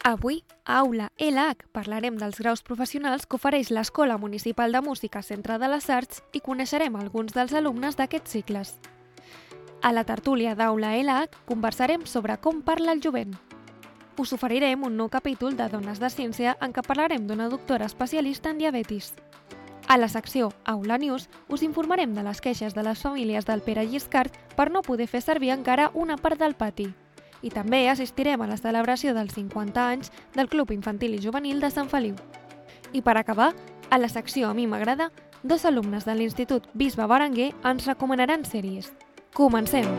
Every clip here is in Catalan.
Avui, a Aula LH, parlarem dels graus professionals que ofereix l'Escola Municipal de Música Centre de les Arts i coneixerem alguns dels alumnes d'aquests cicles. A la tertúlia d'Aula LH conversarem sobre com parla el jovent. Us oferirem un nou capítol de Dones de Ciència en què parlarem d'una doctora especialista en diabetis. A la secció Aula News us informarem de les queixes de les famílies del Pere Lliscard per no poder fer servir encara una part del pati. I també assistirem a la celebració dels 50 anys del Club Infantil i Juvenil de Sant Feliu. I per acabar, a la secció A mi m'agrada, dos alumnes de l'Institut Bisbe Berenguer ens recomanaran sèries. Comencem!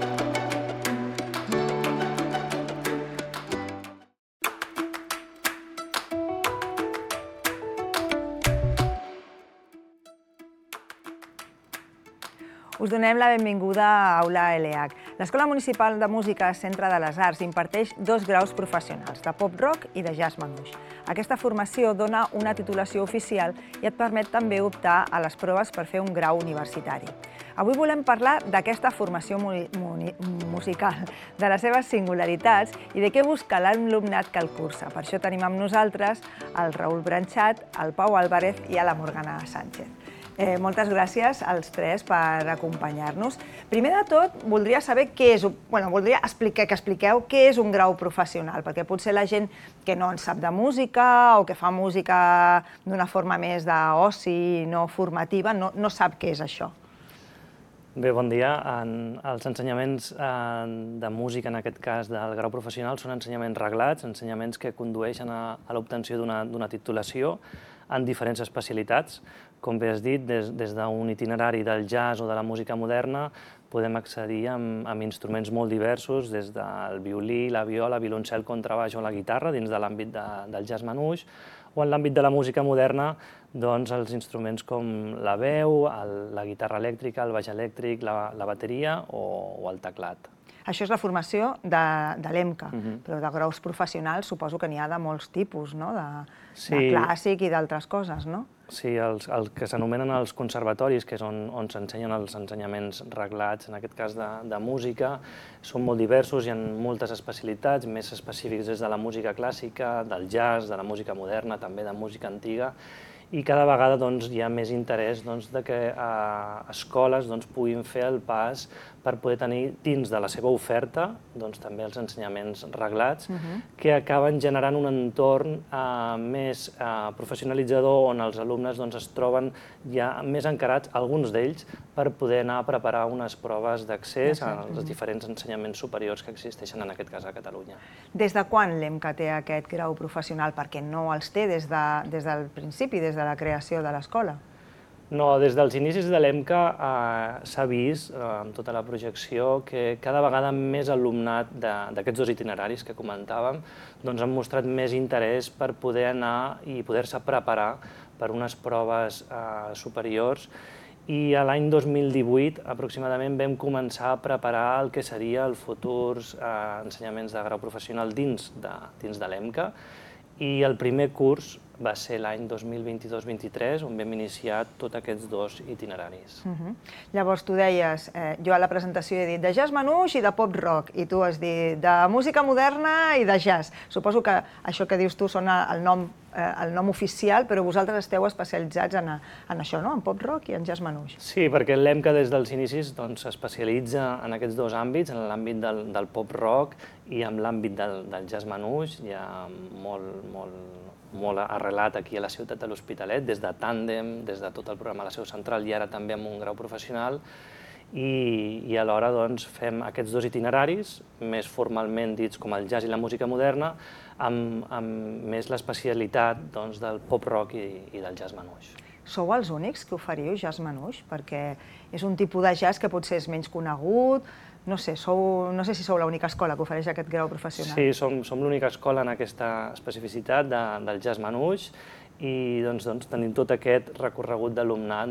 Us donem la benvinguda a Aula LH. L'Escola Municipal de Música Centre de les Arts imparteix dos graus professionals, de pop-rock i de jazz manouche. Aquesta formació dona una titulació oficial i et permet també optar a les proves per fer un grau universitari. Avui volem parlar d'aquesta formació musical, de les seves singularitats i de què busca l'alumnat que el cursa. Per això tenim amb nosaltres el Raül Branchat, el Pau Álvarez i la Morgana Sánchez. Moltes gràcies als tres per acompanyar-nos. Primer de tot, voldria saber voldria que expliqueu què és un grau professional, perquè potser la gent que no en sap de música o que fa música d'una forma més d'oci, no formativa, no sap què és això. Bé, bon dia. Els ensenyaments de música, en aquest cas del grau professional, són ensenyaments reglats, ensenyaments que condueixen a l'obtenció d'una titulació en diferents especialitats. Com bé has dit, des d'un itinerari del jazz o de la música moderna podem accedir amb instruments molt diversos, des del violí, la viola, violoncel, contrabaix o la guitarra, dins de l'àmbit del jazz manouche, o en l'àmbit de la música moderna, doncs els instruments com la veu, la guitarra elèctrica, el baix elèctric, la bateria o el teclat. Això és la formació de l'EMCA, però de graus professionals suposo que n'hi ha de molts tipus, de clàssic i d'altres coses, no? Sí, els que s'anomenen els conservatoris, que és on s'ensenyen els ensenyaments reglats, en aquest cas de música, són molt diversos, hi ha moltes especialitats, més específics des de la música clàssica, del jazz, de la música moderna, també de música antiga, i cada vegada hi ha més interès que escoles puguin fer el pas per poder tenir dins de la seva oferta també els ensenyaments reglats, que acaben generant un entorn més professionalitzador on els alumnes es troben ja més encarats, alguns d'ells, per poder anar a preparar unes proves d'accés als diferents ensenyaments superiors que existeixen en aquest cas a Catalunya. Des de quan l'EMCA té aquest grau professional? Perquè no els té des del principi, des de la creació de l'escola. No, des dels inicis de l'EMCA s'ha vist, amb tota la projecció, que cada vegada més alumnat d'aquests dos itineraris que comentàvem han mostrat més interès per poder anar i poder-se preparar per unes proves superiors, i l'any 2018 aproximadament vam començar a preparar el que seria els futurs ensenyaments de grau professional dins de l'EMCA, i el primer curs va ser l'any 2022-23, on vam iniciar tots aquests dos itineraris. Llavors, tu deies, jo a la presentació he dit de jazz manouche i de pop-rock, i tu has dit de música moderna i de jazz. Suposo que això que dius tu són el nom oficial, però vosaltres esteu especialitzats en això, no? En pop-rock i en jazz manouche. Sí, perquè l'EMCA des dels inicis s'especialitza en aquests dos àmbits, en l'àmbit del pop-rock i en l'àmbit del jazz manouche, ja molt arrelat aquí a la ciutat de l'Hospitalet, des de Tàndem, des de tot el programa a la seu central i ara també amb un grau professional, i alhora fem aquests dos itineraris, més formalment dits com el jazz i la música moderna, amb més l'especialitat del pop-rock i del jazz manouche. Sou els únics que oferiu jazz manouche? Perquè és un tipus de jazz que potser és menys conegut. No sé si sou l'única escola que ofereix aquest grau professional. Sí, som l'única escola en aquesta especificitat del jazz manouche, i tenim tot aquest recorregut d'alumnat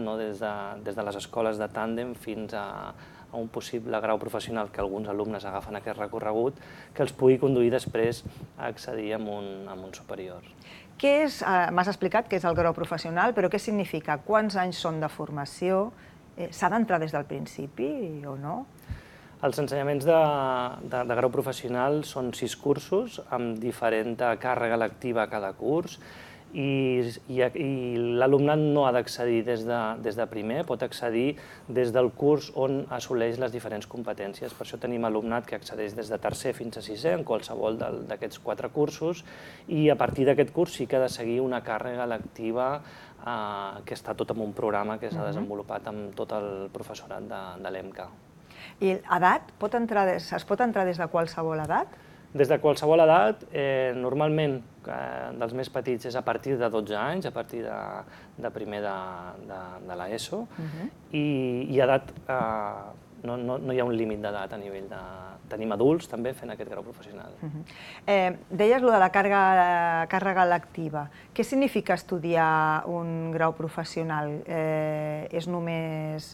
des de les escoles de Tàndem fins a un possible grau professional que alguns alumnes agafen aquest recorregut, que els pugui conduir després a accedir a un superior. M'has explicat què és el grau professional, però què significa? Quants anys són de formació? S'ha d'entrar des del principi o no? Els ensenyaments de grau professional són 6 cursos amb diferent càrrega lectiva a cada curs i l'alumnat no ha d'accedir des de primer, pot accedir des del curs on assoleix les diferents competències. Per això tenim alumnat que accedeix des de tercer fins a sisè en qualsevol d'aquests 4 cursos i a partir d'aquest curs sí que ha de seguir una càrrega lectiva que està tot en un programa que s'ha desenvolupat amb tot el professorat de l'EMCA. I edat? Es pot entrar des de qualsevol edat? Des de qualsevol edat, normalment dels més petits és a partir de 12 anys, a partir de primer de l'ESO, i edat, no hi ha un límit d'edat a nivell de... Tenim adults també fent aquest grau professional. Deies allò de la càrrega lectiva. Què significa estudiar un grau professional? És només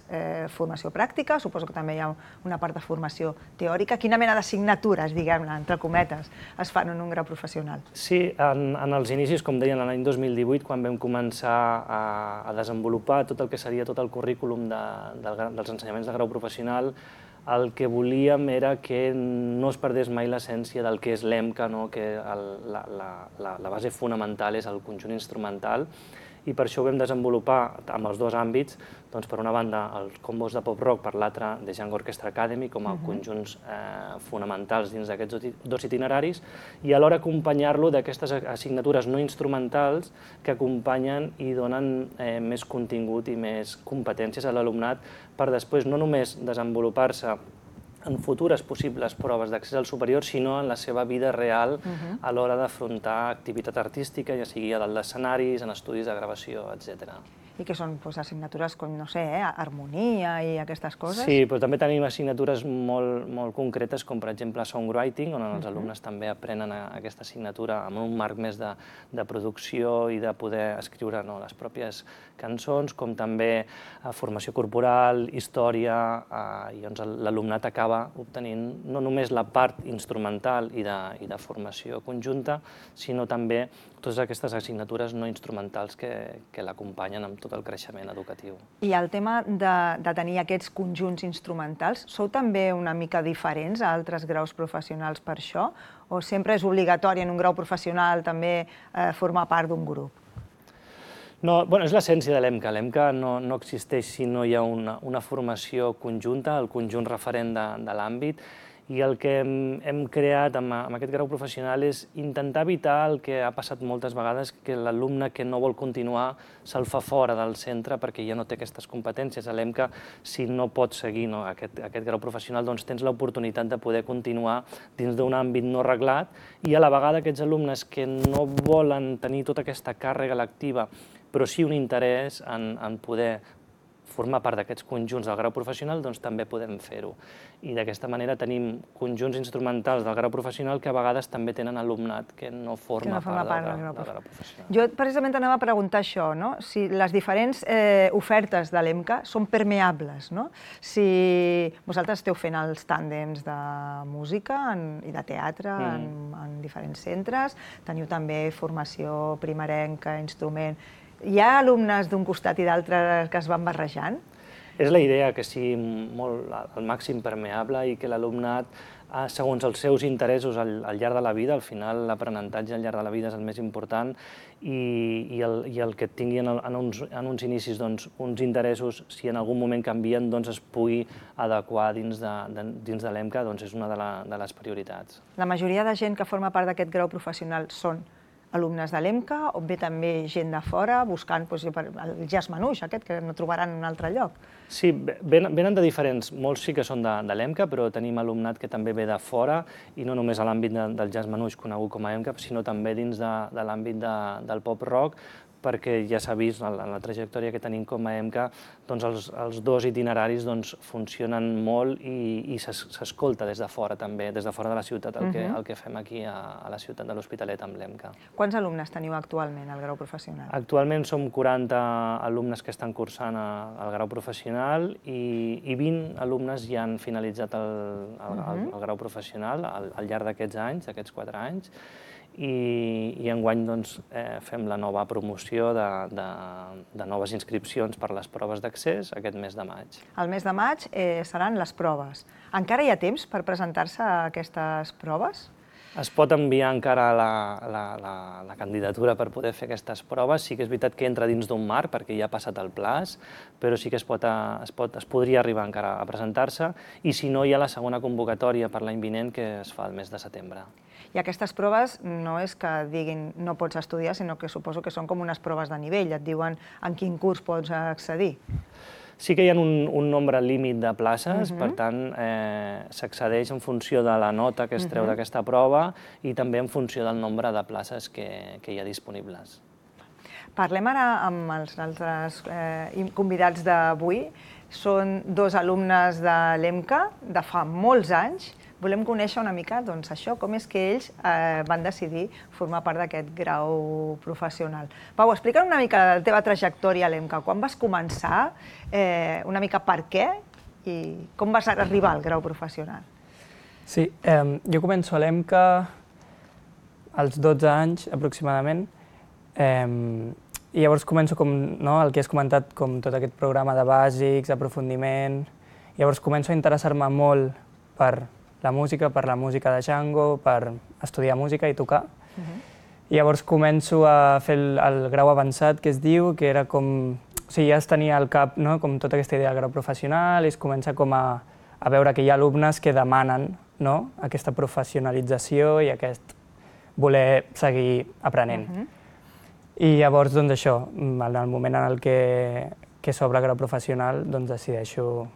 formació pràctica? Suposo que també hi ha una part de formació teòrica. Quina mena d'assignatures, diguem-ne, entre cometes, es fan en un grau professional? Sí, en els inicis, com deien, l'any 2018, quan vam començar a desenvolupar tot el que seria tot el currículum dels ensenyaments de grau professional, el que volíem era que no es perdés mai l'essència del que és l'EMCA, que la base fonamental és el conjunt instrumental, i per això ho vam desenvolupar amb els dos àmbits, per una banda els combos de pop-rock, per l'altra de Django Orchestra Academy, com a conjunts fonamentals dins d'aquests dos itineraris, i alhora acompanyar-lo d'aquestes assignatures no instrumentals que acompanyen i donen més contingut i més competències a l'alumnat per després no només desenvolupar-se en futures possibles proves d'accés al superior, sinó en la seva vida real a l'hora d'afrontar activitat artística, ja sigui a dalt d'escenaris, en estudis de gravació, etc. I que són assignatures com, no sé, harmonia i aquestes coses? Sí, però també tenim assignatures molt concretes, com per exemple songwriting, on els alumnes també aprenen aquesta assignatura amb un marc més de producció i de poder escriure les pròpies cançons, com també formació corporal, història, i l'alumnat acaba obtenint no només la part instrumental i de formació conjunta, sinó també totes aquestes assignatures no instrumentals que l'acompanyen amb tot el creixement educatiu. I el tema de tenir aquests conjunts instrumentals, sou també una mica diferents a altres graus professionals per això? O sempre és obligatori en un grau professional també formar part d'un grup? No, és l'essència de l'EMCA. L'EMCA no existeix si no hi ha una formació conjunta, el conjunt referent de l'àmbit, i el que hem creat amb aquest grau professional és intentar evitar el que ha passat moltes vegades, que l'alumne que no vol continuar se'l fa fora del centre perquè ja no té aquestes competències. A l'EMCA, si no pots seguir aquest grau professional, doncs tens l'oportunitat de poder continuar dins d'un àmbit no reglat, i a la vegada aquests alumnes que no volen tenir tota aquesta càrrega lectiva, però sí un interès en poder formar part d'aquests conjunts del grau professional, doncs també podem fer-ho. I d'aquesta manera tenim conjunts instrumentals del grau professional que a vegades també tenen alumnat que no forma part del grau professional. Jo precisament anava a preguntar això, si les diferents ofertes de l'EMCA són permeables, si vosaltres esteu fent els tàndems de música i de teatre en diferents centres, teniu també formació primerenca, instrument. Hi ha alumnes d'un costat i d'altre que es van barrejant? És la idea, que sigui al màxim permeable i que l'alumnat, segons els seus interessos al llarg de la vida, al final l'aprenentatge al llarg de la vida és el més important, i el que tingui en uns inicis uns interessos, si en algun moment canvien, es pugui adequar dins de l'EMCA, és una de les prioritats. La majoria de gent que forma part d'aquest grau professional són alumnes de l'EMCA o ve també gent de fora buscant el jazz manouche aquest que no trobaran en un altre lloc? Sí, venen de diferents, molts sí que són de l'EMCA, però tenim alumnat que també ve de fora, i no només a l'àmbit del jazz manouche conegut com a EMCA, sinó també dins de l'àmbit del pop-rock, perquè ja s'ha vist en la trajectòria que tenim com a EMCA, els dos itineraris funcionen molt i s'escolta des de fora també, des de fora de la ciutat, el que fem aquí a la ciutat de l'Hospitalet amb l'EMCA. Quants alumnes teniu actualment al grau professional? Actualment som 40 alumnes que estan cursant el grau professional i 20 alumnes ja han finalitzat el grau professional al llarg d'aquests anys, d'aquests 4 anys, i enguany fem la nova promoció de noves inscripcions per les proves d'accés aquest mes de maig. El mes de maig seran les proves. Encara hi ha temps per presentar-se a aquestes proves? Es pot enviar encara la candidatura per poder fer aquestes proves. Sí que és veritat que entra dins d'un marc, perquè ja ha passat el plaç, però sí que es podria arribar encara a presentar-se, i si no, hi ha la segona convocatòria per l'any vinent, que es fa el mes de setembre. I aquestes proves no és que diguin no pots estudiar, sinó que suposo que són com unes proves de nivell, et diuen en quin curs pots accedir. Sí que hi ha un nombre límit de places, per tant, s'accedeix en funció de la nota que es treu d'aquesta prova i també en funció del nombre de places que hi ha disponibles. Parlem ara amb els altres convidats d'avui. Són dos alumnes de l'EMCA de fa molts anys. Volem conèixer una mica això, com és que ells van decidir formar part d'aquest grau professional. Pau, explica'm una mica la teva trajectòria a l'EMCA. Quan vas començar, una mica per què i com vas arribar al grau professional? Sí, jo començo a l'EMCA als 12 anys aproximadament i llavors començo el que has comentat, com tot aquest programa de bàsics, aprofundiment. Llavors començo a interessar-me molt per la música de Django, per estudiar música i tocar. I llavors començo a fer el grau avançat, que es diu, que era com... O sigui, ja es tenia al cap com tota aquesta idea del grau professional i es comença com a veure que hi ha alumnes que demanen aquesta professionalització i aquest voler seguir aprenent. I llavors, doncs això, en el moment en el que s'obre el grau professional, doncs decideixo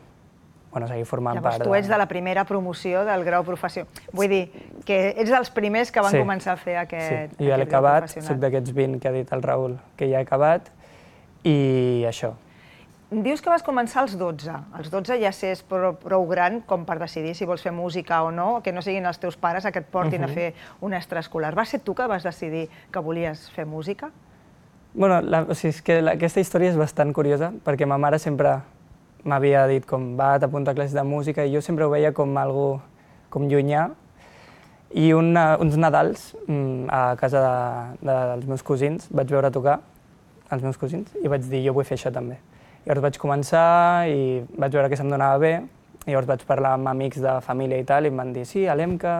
seguir formant part. Llavors tu ets de la primera promoció del grau professional. Vull dir, que ets dels primers que van començar a fer aquest grau professional. Sí, jo l'he acabat, soc d'aquests 20 que ha dit el Raül que ja he acabat, i això. Dius que vas començar als 12. Als 12 ja és prou gran com per decidir si vols fer música o no, que no siguin els teus pares que et portin a fer un extraescolar. Va ser tu que vas decidir que volies fer música? Bueno, és que aquesta història és bastant curiosa, perquè ma mare sempre m'havia dit com va, t'apunta a classes de música, i jo sempre ho veia com algo com llunyà. I uns Nadals, a casa dels meus cosins, vaig veure tocar els meus cosins i vaig dir, jo vull fer això també. Llavors vaig començar i vaig veure que se'm donava bé, llavors vaig parlar amb amics de família i tal, i em van dir, sí, a l'EMCA...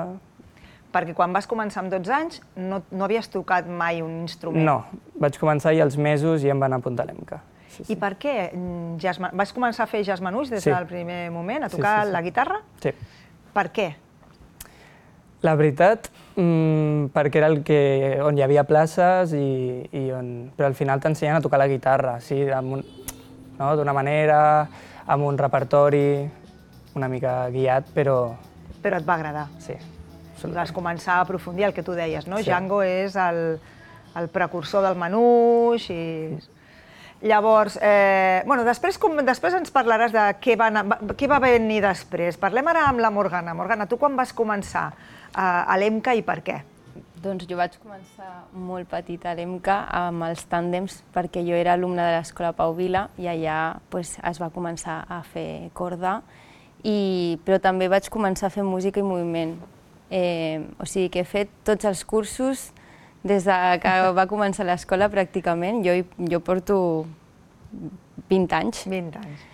Perquè quan vas començar amb 12 anys no havies tocat mai un instrument? No, vaig començar i als mesos ja em van apuntar a l'EMCA. I per què? Vas començar a fer jazz manouche des del primer moment, a tocar la guitarra? Sí. Per què? La veritat, perquè era on hi havia places però al final t'ensenyen a tocar la guitarra, d'una manera, amb un repertori una mica guiat, però... Però et va agradar? Sí. Vas començar a aprofundir el que tu deies, no? Django és el precursor del manouche i... Llavors, després ens parlaràs de què va venir després. Parlem ara amb la Morgana. Morgana, tu quan vas començar a l'EMCA i per què? Doncs jo vaig començar molt petita a l'EMCA amb els tàndems perquè jo era alumna de l'escola Pau Vila i allà es va començar a fer corda, però també vaig començar a fer música i moviment. O sigui que he fet tots els cursos des que va començar l'escola pràcticament. Jo porto 20 anys. 20 anys.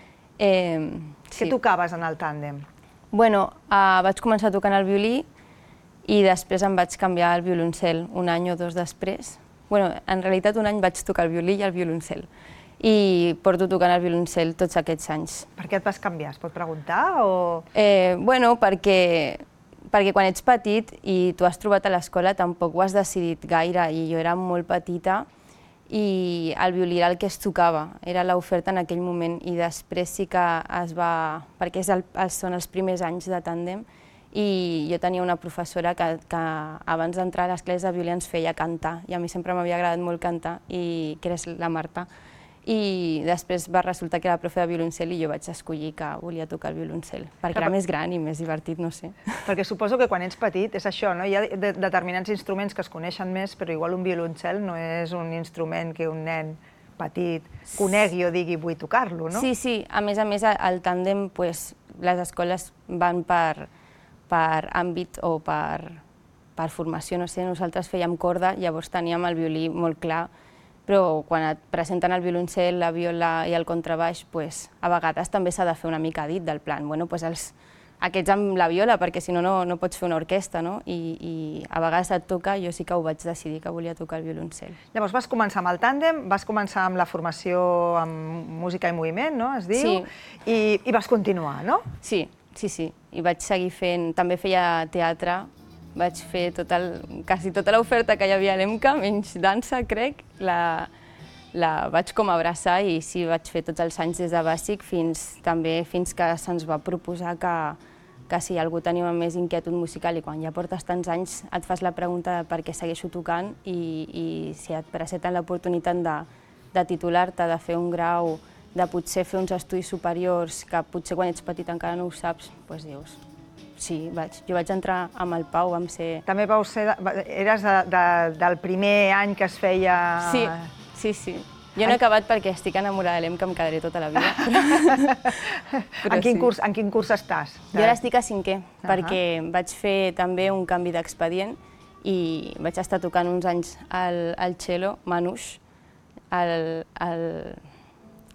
Què tocaves en el tàndem? Bueno, vaig començar tocant el violí i després em vaig canviar al violoncel un any o dos després. Bueno, en realitat un any vaig tocar el violí i el violoncel i porto tocant el violoncel tots aquests anys. Per què et vas canviar? Es pot preguntar o...? Bueno, perquè quan ets petit i tu has trobat a l'escola tampoc ho has decidit gaire i jo era molt petita i el violí era el que es tocava, era l'oferta en aquell moment i després sí que es va... perquè són els primers anys de tàndem i jo tenia una professora que abans d'entrar a les classes de violí ens feia cantar i a mi sempre m'havia agradat molt cantar, que era la Marta. I després va resultar que era profe de violoncel i jo vaig escollir que volia tocar el violoncel, perquè era més gran i més divertit, no sé. Perquè suposo que quan ets petit és això, no? Hi ha determinats instruments que es coneixen més, però igual un violoncel no és un instrument que un nen petit conegui o digui vull tocar-lo, no? Sí, a més el tàndem, les escoles van per àmbit o per per formació, no sé, nosaltres fèiem corda, llavors teníem el violí molt clar, però quan et presenten el violoncel, la viola i el contrabaix, a vegades també s'ha de fer una mica dit del plan, aquests amb la viola, perquè si no, no pots fer una orquestra, no? I a vegades et toca, jo sí que ho vaig decidir, que volia tocar el violoncel. Llavors vas començar amb el tàndem, vas començar amb la formació amb música i moviment, no?, es diu, i vas continuar, no? Sí, i vaig seguir fent, també feia teatre, vaig fer quasi tota l'oferta que hi havia a l'EMCA, menys dansa, crec, la vaig com abraçar i sí, vaig fer tots els anys des de bàsic fins que se'ns va proposar que si algú tenia més inquietud musical i quan ja portes tants anys et fas la pregunta de per què segueixo tocant i si et presenten l'oportunitat de titular-te, de fer un grau, de potser fer uns estudis superiors que potser quan ets petit encara no ho saps, doncs dius, sí, jo vaig entrar amb el Pau, vam ser... També eres del primer any que es feia... Sí. Jo no he acabat perquè estic enamorada de l'EMCA, em quedaré tota la vida. En quin curs estàs? Jo ara estic a 5è, perquè vaig fer també un canvi d'expedient i vaig estar tocant uns anys al cello, Manouche,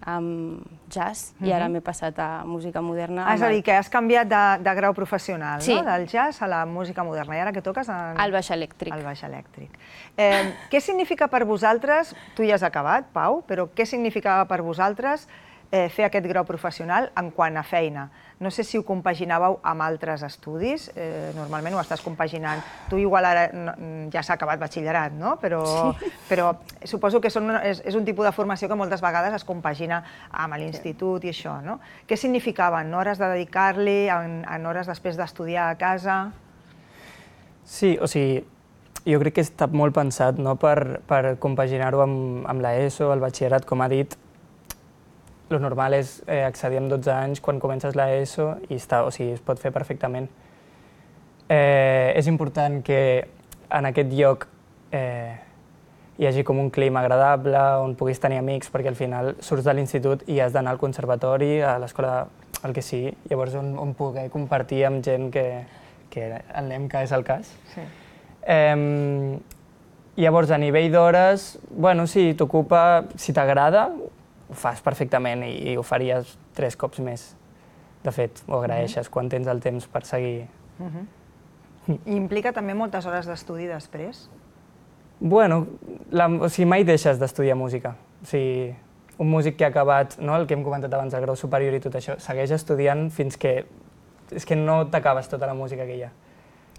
amb jazz, i ara m'he passat a música moderna. És a dir, que has canviat de grau professional, no? Del jazz a la música moderna. I ara què toques? El baix elèctric. El baix elèctric. Què significa per vosaltres, tu ja has acabat, Pau, però què significava per vosaltres fer aquest grau professional en quant a feina? No sé si ho compaginàveu amb altres estudis, normalment ho estàs compaginant. Tu igual ara ja s'ha acabat batxillerat, no? Però suposo que és un tipus de formació que moltes vegades es compagina amb l'institut i això, no? Què significaven? Hores de dedicar-li, en hores després d'estudiar a casa? Sí, o sigui, jo crec que està molt pensat per compaginar-ho amb l'ESO, el batxillerat, com ha dit. El normal és accedir amb 12 anys quan comences l'ESO i es pot fer perfectament. És important que en aquest lloc hi hagi com un clima agradable, on puguis tenir amics, perquè al final surts de l'institut i has d'anar al conservatori, a l'escola, el que sigui, llavors on poder compartir amb gent que en l'EMCA és el cas. Llavors, a nivell d'hores, si t'ocupa, si t'agrada, ho fas perfectament i ho faries 3 cops més. De fet, ho agraeixes quan tens el temps per seguir. I implica també moltes hores d'estudi després? Mai deixes d'estudiar música. Un músic que ha acabat, el que hem comentat abans, el grau superior i tot això, segueix estudiant fins que no t'acabes tota la música que hi ha.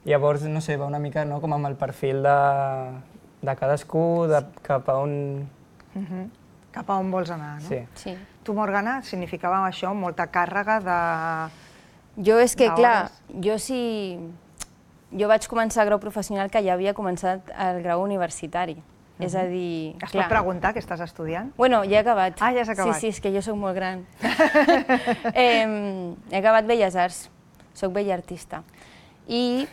Llavors, no sé, va una mica com amb el perfil de cadascú, cap a on... Cap a on vols anar, no? Sí. Tu, Morgana, significava això, molta càrrega de... Jo és que, clar, jo vaig començar el grau professional que ja havia començat el grau universitari. És a dir... Es pot preguntar què estàs estudiant? Bueno, ja he acabat. Ah, ja has acabat. Sí, és que jo soc molt gran. He acabat Belles Arts, soc bella artista. I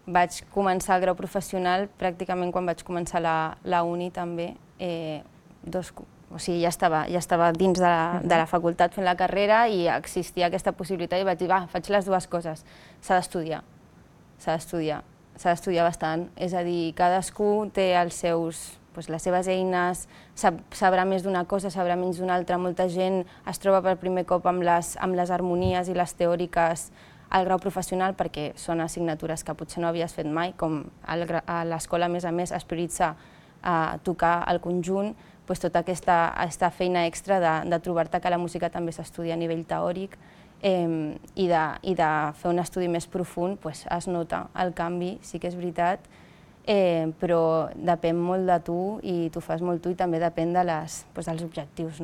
vaig començar el grau professional pràcticament quan vaig començar la uni també. Ja estava dins de la facultat fent la carrera i existia aquesta possibilitat i vaig dir, faig les dues coses. S'ha d'estudiar bastant. És a dir, cadascú té les seves eines, sabrà més d'una cosa, sabrà menys d'una altra. Molta gent es troba per primer cop amb les harmonies i les teòriques al grau professional perquè són assignatures que potser no havies fet mai, com a l'escola, a més, es prioritza a tocar el conjunt, tota aquesta feina extra de trobar-te que la música també s'estudia a nivell teòric i de fer un estudi més profund, es nota el canvi, sí que és veritat, però depèn molt de tu i tu fas molt tu i també depèn dels objectius.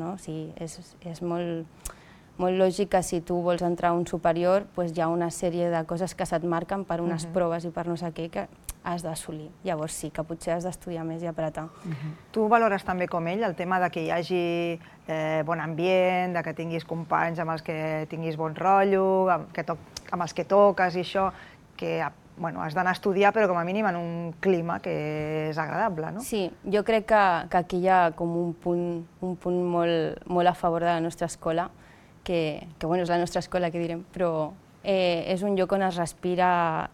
És molt lògic que si tu vols entrar a un superior hi ha una sèrie de coses que se't marquen per unes proves i per no sé què que has d'assolir. Llavors sí, que potser has d'estudiar més i apretar. Tu valores també com ell el tema que hi hagi bon ambient, que tinguis companys amb els que tinguis bon rotllo, amb els que toques i això, que has d'anar a estudiar però com a mínim en un clima que és agradable, no? Sí, jo crec que aquí hi ha com un punt molt a favor de la nostra escola, que és la nostra escola, que direm, però és un lloc on es respira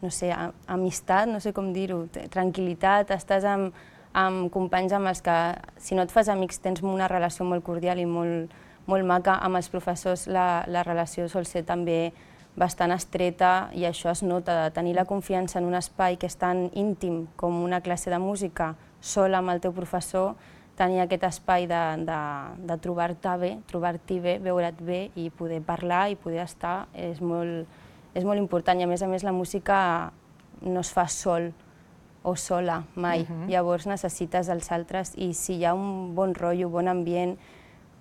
no sé, amistat, no sé com dir-ho, tranquil·litat, estàs amb companys amb els que, si no et fas amics, tens una relació molt cordial i molt maca. Amb els professors la relació sol ser també bastant estreta i això es nota, de tenir la confiança en un espai que és tan íntim com una classe de música sola amb el teu professor, tenir aquest espai de trobar-t'hi bé, veure't bé i poder parlar i poder estar és molt important. I a més la música no es fa sol o sola mai, llavors necessites els altres i si hi ha un bon rotllo, bon ambient,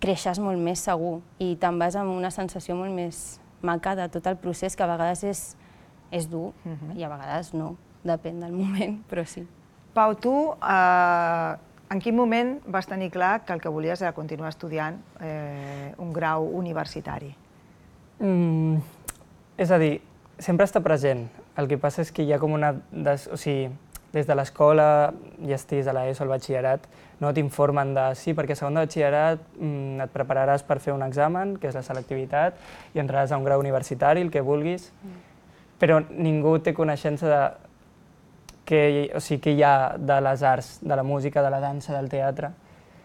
creixes molt més segur i te'n vas amb una sensació molt més maca de tot el procés, que a vegades és dur i a vegades no, depèn del moment, però sí. Pau, tu en quin moment vas tenir clar que el que volies era continuar estudiant un grau universitari? És a dir, sempre està present. El que passa és que hi ha com una... O sigui, des de l'escola, ja estiguis a l'ESO o al batxillerat, no t'informen de sí, perquè a segon de batxillerat et prepararàs per fer un examen, que és la selectivitat, i entraràs a un grau universitari, el que vulguis, però ningú té coneixença de què hi ha de les arts, de la música, de la dansa, del teatre.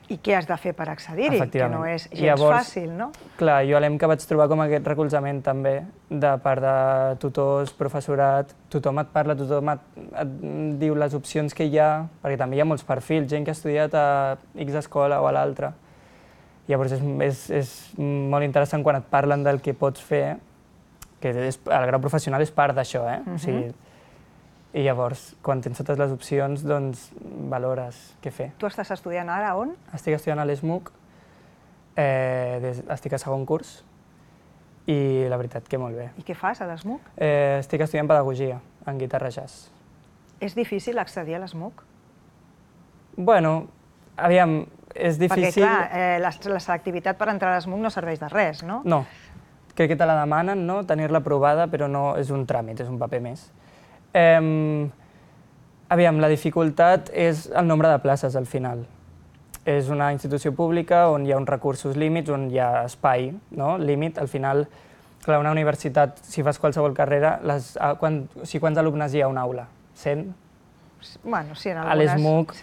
I què has de fer per accedir-hi, que no és gens fàcil, no? Clar, jo a l'EMCA vaig trobar com aquest recolzament també, de part de tutors, professorat, tothom et parla, tothom et diu les opcions que hi ha, perquè també hi ha molts perfils, gent que ha estudiat a X escola o a l'altra. Llavors és molt interessant quan et parlen del que pots fer, que el grau professional és part d'això, o sigui, i llavors, quan tens totes les opcions, doncs valores què fer. Tu estàs estudiant ara on? Estic estudiant a l'ESMUC, estic a segon curs, i la veritat que molt bé. I què fas a l'ESMUC? Estic estudiant pedagogia, en guitarra jazz. És difícil accedir a l'ESMUC? Bueno, aviam, és difícil... Perquè, clar, la selectivitat per entrar a l'ESMUC no serveix de res, no? No, crec que te la demanen, no?, tenir-la aprovada, però no és un tràmit, és un paper més. Aviam, la dificultat és el nombre de places, al final. És una institució pública on hi ha uns recursos límits, on hi ha espai, no?, límit. Al final, clar, una universitat, si fas qualsevol carrera, quants alumnes hi ha a una aula? 100? Bueno, sí, en algunes... A l'ESMUC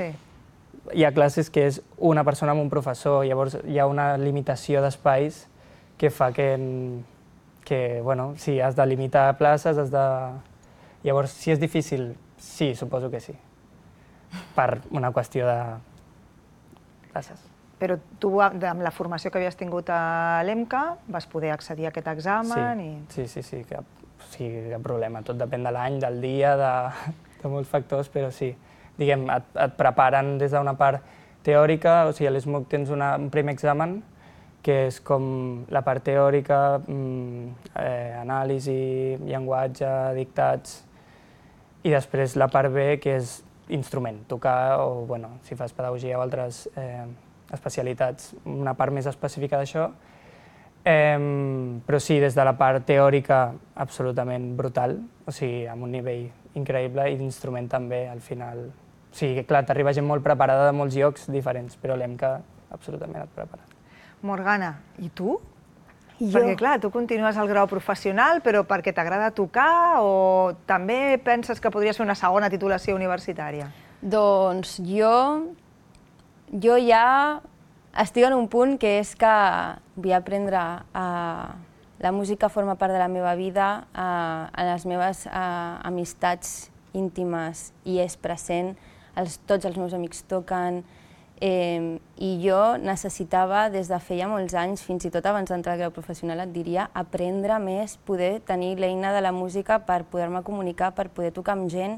hi ha classes que és una persona amb un professor, llavors hi ha una limitació d'espais que fa que, bueno, sí, has de limitar places, has de... Llavors, si és difícil, sí, suposo que sí, per una qüestió de places. Però tu, amb la formació que havies tingut a l'EMCA, vas poder accedir a aquest examen i... Sí, cap problema. Tot depèn de l'any, del dia, de molts factors, però sí. Diguem, et preparen des d'una part teòrica, o sigui, a l'ESMUC tens un primer examen, que és com la part teòrica, anàlisi, llenguatge, dictats, i després la part B, que és instrument, tocar, o bueno, si fas pedagogia o altres especialitats, una part més específica d'això. Però sí, des de la part teòrica, absolutament brutal, o sigui, amb un nivell increïble, i d'instrument també, al final. O sigui, clar, t'arriba gent molt preparada de molts llocs diferents, però l'EMCA absolutament et prepara. Morgana, i tu? Perquè, clar, tu continues al grau professional, però perquè t'agrada tocar o també penses que podries fer una segona titulació universitària? Doncs jo ja estic en un punt que és que vull aprendre la música forma part de la meva vida, en les meves amistats íntimes i és present, tots els meus amics toquen, i jo necessitava, des de feia molts anys, fins i tot abans d'entrar al grau professional, et diria, aprendre més, poder tenir l'eina de la música per poder-me comunicar, per poder tocar amb gent.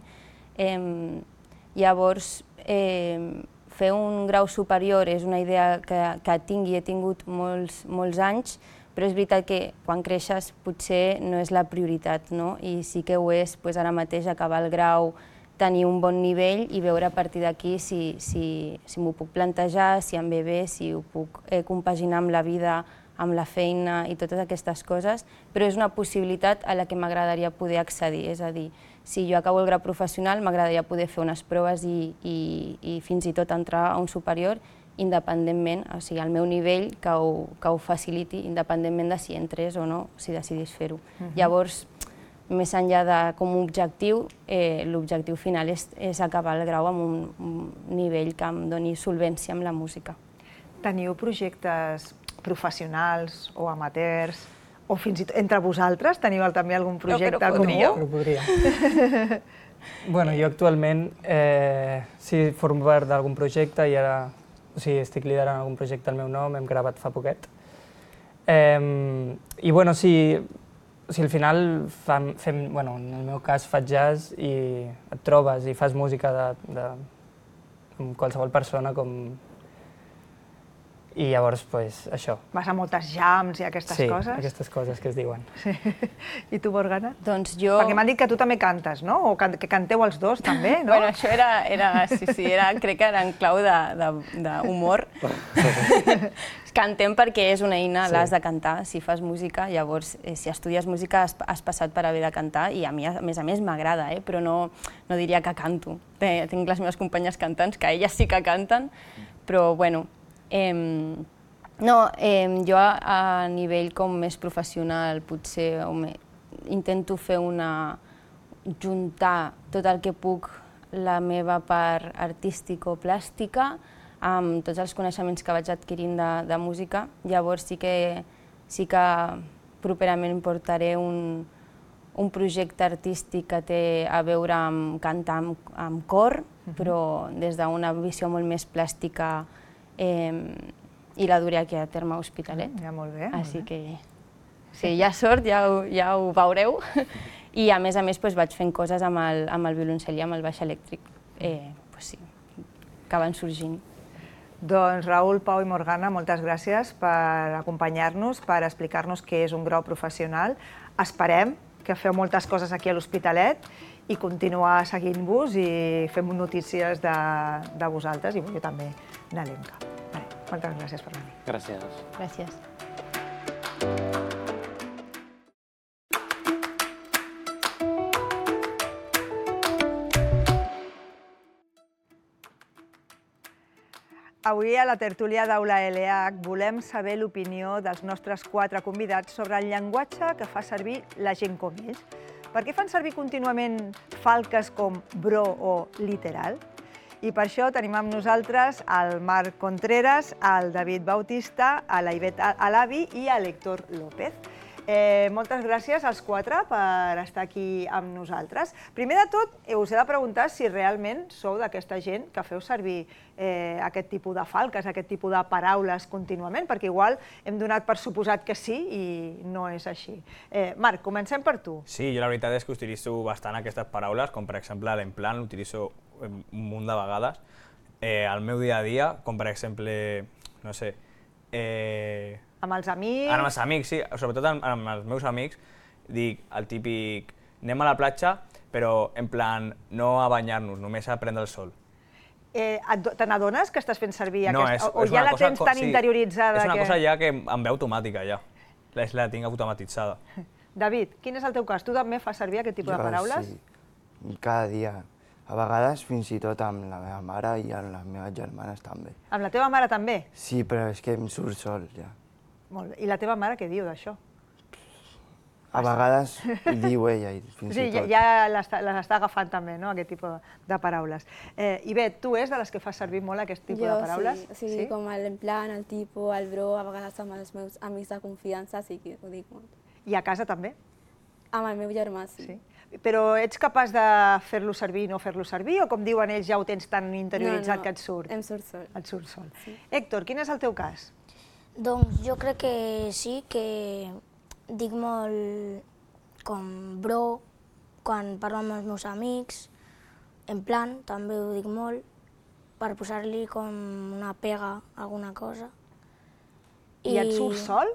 Llavors, fer un grau superior és una idea que tinc i he tingut molts anys, però és veritat que quan creixes potser no és la prioritat, no? I sí que ho és ara mateix acabar el grau, tenir un bon nivell i veure a partir d'aquí si m'ho puc plantejar, si em ve bé, si ho puc compaginar amb la vida, amb la feina i totes aquestes coses, però és una possibilitat a la que m'agradaria poder accedir. És a dir, si jo acabo el grau professional, m'agradaria poder fer unes proves i fins i tot entrar a un superior independentment, o sigui, al meu nivell, que ho faciliti, independentment de si entrés o no, si decidís fer-ho. Llavors, més enllà de com a objectiu, l'objectiu final és acabar el grau amb un nivell que em doni solvència amb la música. Teniu projectes professionals o amateurs, o fins i tot entre vosaltres teniu també algun projecte comú? Però podria. Bueno, jo actualment sí formo part d'algun projecte i ara estic liderant algun projecte al meu nom, hem gravat fa poquet. I bueno, si al final fem, bueno, en el meu cas faig jazz i et trobes i fas música amb qualsevol persona i llavors, això. Vas a moltes jams i aquestes coses? Sí, aquestes coses que es diuen. I tu, Morgana? Doncs jo... Perquè m'han dit que tu també cantes, no? O que canteu els dos, també, no? Bueno, això crec que era en clau d'humor. Cantem perquè és una eina, l'has de cantar, si fas música, llavors, si estudies música has passat per haver de cantar i a mi, a més m'agrada, però no diria que canto. Tinc les meves companyes cantants, que elles sí que canten, però, bueno, jo a nivell com més professional potser intento fer juntar tot el que puc la meva part artístico-plàstica amb tots els coneixements que vaig adquirint de música. Llavors sí que properament portaré un projecte artístic que té a veure amb cantar amb cor, però des d'una visió molt més plàstica i la duré aquí a terme a Hospitalet. Ja, molt bé. Així que, si hi ha sort, ja ho veureu. I a més vaig fent coses amb el violoncel i amb el baix elèctric, que van sorgint. Doncs Raül, Pau i Morgana, moltes gràcies per acompanyar-nos, per explicar-nos què és un grau professional. Esperem que feu moltes coses aquí a l'Hospitalet i continuar seguint-vos i fem notícies de vosaltres i jo també de l'EMCA. Moltes gràcies per venir. Gràcies. Gràcies. Avui a la tertúlia d'Aula LH volem saber l'opinió dels nostres 4 convidats sobre el llenguatge que fa servir la gent com ells. Per què fan servir contínuament falques com bro o literal? I per això tenim amb nosaltres el Marc Contreras, el David Bautista, la Ivet Alavi i l'Héctor López. Moltes gràcies als 4 per estar aquí amb nosaltres. Primer de tot, us he de preguntar si realment sou d'aquesta gent que feu servir aquest tipus de falques, aquest tipus de paraules contínuament, perquè igual hem donat per suposat que sí i no és així. Marc, comencem per tu. Sí, jo la veritat és que utilitzo bastant aquestes paraules, com per exemple l'emplant, l'utilitzo un munt de vegades. Al meu dia a dia, com per exemple, no sé... Amb els amics? Amb els amics, sí. Sobretot amb els meus amics, dic el típic anem a la platja, però en plan no a banyar-nos, només a prendre el sol. Te n'adones que estàs fent servir aquesta? O ja la tens tan interioritzada que... És una cosa ja que em ve automàtica, ja. La tinc automatitzada. David, quin és el teu cas? Tu també fas servir aquest tipus de paraules? Sí, cada dia. A vegades fins i tot amb la meva mare i amb les meves germanes també. Amb la teva mare també? Sí, però és que em surt sol, ja. Molt bé. I la teva mare què diu d'això? A vegades ho diu ella, fins i tot. Ja les està agafant també, no?, aquest tipus de paraules. Ivet, tu és de les que fas servir molt aquest tipus de paraules? Jo sí, com l'emplant, el tipus, el bro, a vegades amb els meus amics de confiança, sí que ho dic molt. I a casa també? Amb el meu germà, sí. Però ets capaç de fer-lo servir i no fer-lo servir, o com diuen ells ja ho tens tan interioritzat que et surt? No, em surt sol. Et surt sol. Héctor, quin és el teu cas? Doncs jo crec que sí, que dic molt com bro quan parlo amb els meus amics, en plan, també ho dic molt, per posar-li com una pega a alguna cosa. I et surt sol?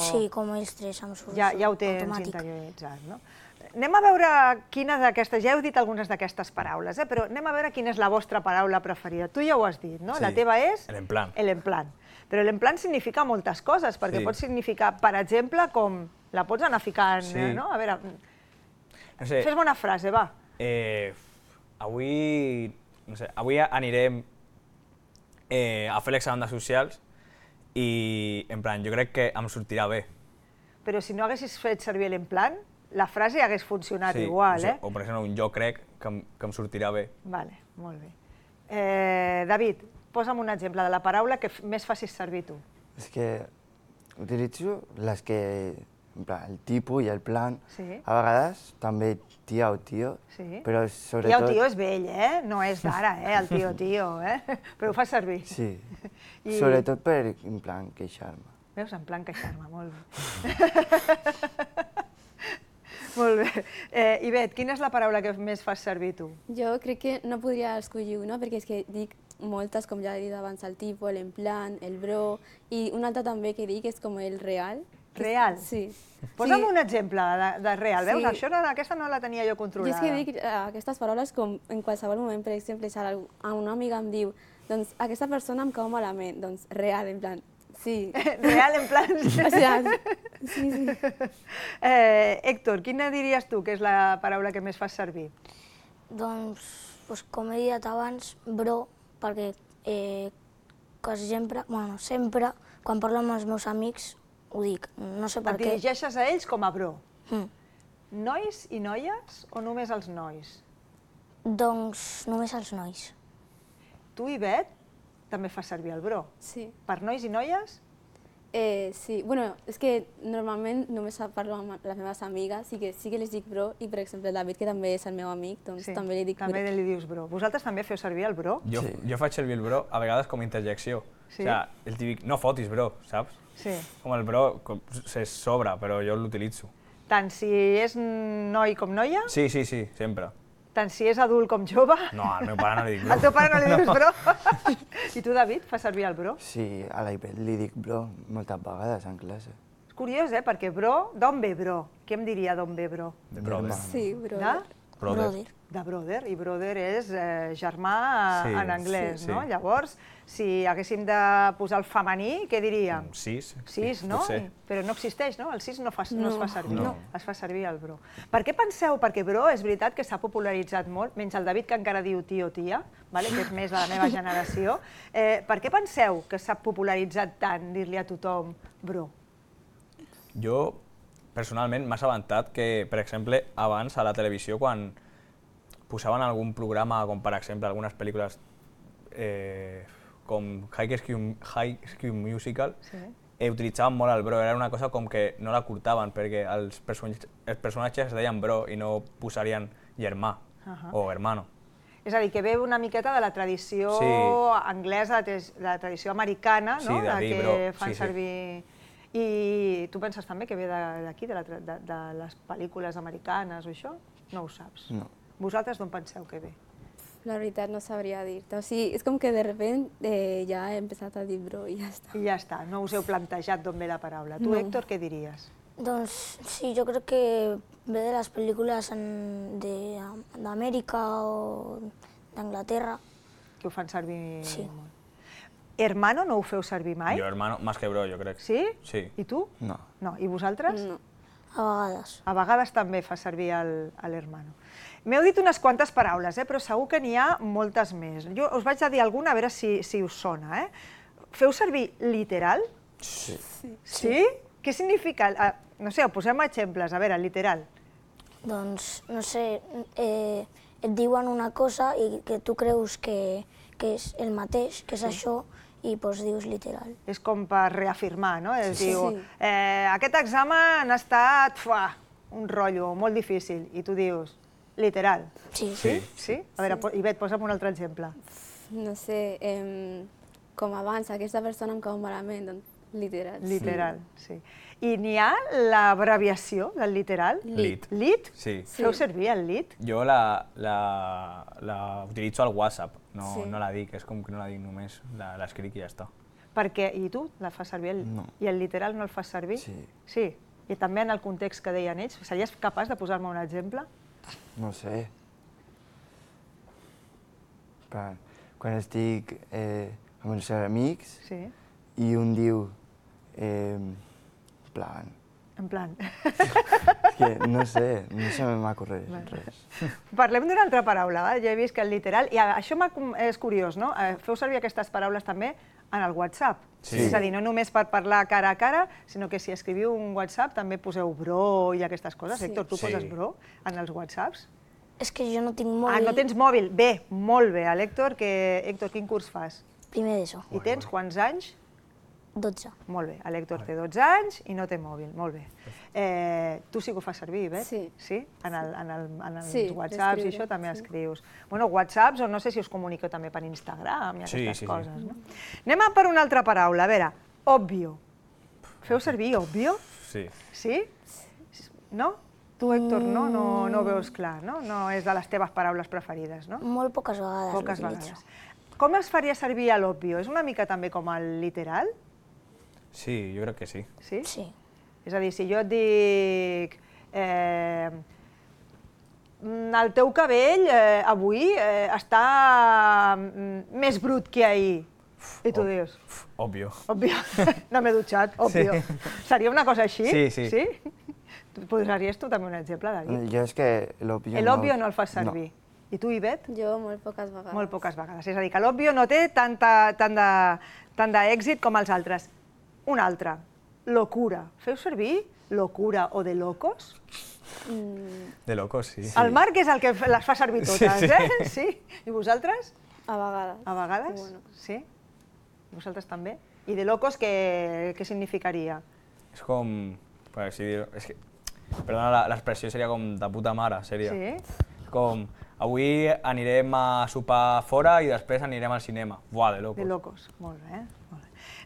Sí, com ells tres em surt ja ho tens interioritzat, no? Anem a veure quina d'aquestes, ja heu dit algunes d'aquestes paraules, però anem a veure quina és la vostra paraula preferida. Tu ja ho has dit, no? La teva és? L'emplant. L'emplant. Però l'emplant significa moltes coses, perquè pot significar, per exemple, com la pots anar ficant, no? A veure, fes-me una frase, va. Avui anirem a fer l'examen de socials i, en plan, jo crec que em sortirà bé. Però si no haguessis fet servir l'emplant, la frase hagués funcionat igual, eh? O per exemple, un jo crec que em sortirà bé. Vale, molt bé. David, posa'm un exemple de la paraula que més facis servir tu. És que utilitzo les que, en plan, el tipus i el plan. Sí. A vegades també tia o tio, Sí. però sobretot... Tia o tio és vell, eh? No és d'ara, el tio, eh? Però ho fas servir. Sí, sobretot per, en plan, queixar-me. Veus, en plan queixar-me, molt bé. Molt bé. Ivet, quina és la paraula que més fas servir tu? Jo crec que no podria escollir una, perquè és que dic moltes, com ja he dit abans, el tipus, l'emplant, el bro, i una altra també que dic és com el real. Real? Sí. Posa'm un exemple de real, veus? Sí. Això aquesta no la tenia jo controlada. Jo és que dic aquestes paraules com en qualsevol moment, per exemple, si una amiga em diu doncs aquesta persona em cau malament, doncs real, en plan, sí. Real, en plan... Sí, sí. Héctor, quina diries tu que és la paraula que més fas servir? Doncs, com he dit abans, bro, perquè quasi sempre, bueno, sempre, quan parlo amb els meus amics, ho dic, no sé per Et què. dirigeixes a ells com a bro. Nois i noies o només els nois? Doncs només els nois. Tu, Ivet, també fas servir el bro. Sí. Per nois i noies? Sí, bueno, és que normalment només parlo amb les meves amigues i que sí que les dic bro, i per exemple el David, que també és el meu amic, doncs també li dic bro. També li dius bro. Vosaltres també feu servir el bro? Jo faig servir el bro a vegades com a interjecció. Sí? O sigui, el típic, no fotis, bro, saps? Sí. Com el bro se sobra, però jo l'utilitzo. Tant si és noi com noia? Sí, sempre. Tant si és adult com jove? No, al meu pare no li dic bro. Al teu pare no li dius bro? I tu, David, fas servir el bro? Sí, a l'Ivet li dic bro moltes vegades en classe. És curiós, perquè bro, d'on ve bro? Què em diria d'on ve bro? De brother. Sí, brother. Brother. De brother, i brother és germà en anglès, no? Llavors, si haguéssim de posar el femení, què diríem? Sis. Sis, no? Potser. Però no existeix, no? El sis no es fa servir, No. es fa servir el bro. Per què penseu? Perquè bro és veritat que s'ha popularitzat molt, menys el David que encara diu tio o tia, que és més de la meva generació. Per què penseu que s'ha popularitzat tant dir-li a tothom bro? Jo, personalment, m'ha assabentat que, per exemple, abans a la televisió, quan posaven algun programa, com per exemple algunes pel·lícules com High School Musical, utilitzaven molt el bro, era una cosa com que no la curtaven perquè els personatges es deien bro i no posarien germà o hermano. És a dir, que ve una miqueta de la tradició anglesa, de la tradició americana, no? de dir que bro, fan servir... I tu penses també que ve d'aquí, de les pel·lícules americanes o això? No ho saps? No. Vosaltres d'on penseu que ve? La veritat no sabria dir-te. O sigui, és com que de repente ja he empezat a dir bro i ja està. I ja està, no us heu plantejat d'on ve la paraula. Tu, Héctor, què diries? Doncs sí, jo crec que ve de les pel·lícules d'Amèrica o d'Anglaterra. Que ho fan servir molt. Hermano no ho feu servir mai? Jo, hermano, más que bro, jo crec. Sí? Sí. I tu? No. No. I vosaltres? No. A vegades. A vegades també fa servir l'hermano. M'heu dit unes quantes paraules, però segur que n'hi ha moltes més. Jo us vaig a dir alguna, a veure si us sona. Feu servir literal? Sí. Sí? Què significa? No sé, posem exemples. A veure, literal. Doncs, no sé, et diuen una cosa i que tu creus que és el mateix, que és això, i doncs dius literal. És com per reafirmar, no? Diu, aquest examen ha estat un rotllo molt difícil, i tu dius, literal. Sí. Sí? A veure, Ivet, posa'm un altre exemple. No sé, com abans, aquesta persona em cau malament, doncs literal. Literal, sí. I n'hi ha l'abreviació del literal? Lit. Lit? Sí. Feu servir el lit? Jo la utilitzo al WhatsApp, no la dic, és com que no la dic només, l'escric i ja està. Perquè, i tu la fas servir? No. I el literal no el fas servir? Sí. Sí? I també en el context que deien ells? Series capaç de posar-me un exemple? No sé. Quan estic amb els amics i un diu, en plan... En plan... que no sé, no se m'acorre res. Parlem d'una altra paraula, va? Ja he vist que el literal... I això és curiós, no? Feu servir aquestes paraules també en el WhatsApp. Sí. És a dir, no només per parlar cara a cara, sinó que si escriviu un WhatsApp també poseu bro i aquestes coses. Héctor, tu poses bro en els WhatsApps? És que jo no tinc mòbil. Ah, no tens mòbil? Bé, molt bé. Héctor, quin curs fas? Primer d'ESO. I tens quants anys? 12. Molt bé, l'Héctor té 12 anys i no té mòbil, molt bé. Tu sí que ho fas servir, Bet? Sí. Sí? En els Sí, WhatsApps i això també escrius. Bueno, WhatsApps, o no sé si us comuniqueu també per Instagram i aquestes coses, no? Anem per una altra paraula, a veure, obvio. Feu servir obvio? Sí. Sí? No? Tu, Héctor, no ho veus clar, no? No és de les teves paraules preferides, no? Molt poques vegades. Poques vegades. Com es faria servir l'obvio? És una mica també com el literal? Sí, jo crec que sí. Sí? Sí. És a dir, si jo et dic el teu cabell avui està més brut que ahir, i tu dius... Òbvio. Òbvio. No m'he dutxat, òbvio. Seria una cosa així? Sí. Sí? Posaries tu també un exemple, David? Jo és que l'òbvio L'òbvio no el fas servir. I tu, Ivet? Jo molt poques vegades. Molt poques vegades. És a dir, que l'òbvio no té tant d'èxit com els altres. Un altre, locura. Feu servir locura o de locos? De locos, sí. El Marc és el que les fa servir totes, eh? Sí. I vosaltres? A vegades. A vegades? Bueno. Sí? Vosaltres també? I de locos què significaria? És com... Per així dir-ho... Perdona, l'expressió seria com de puta mare, seria. Sí? Com, avui anirem a sopar fora i després anirem al cinema. Buah, de locos. De locos, molt bé.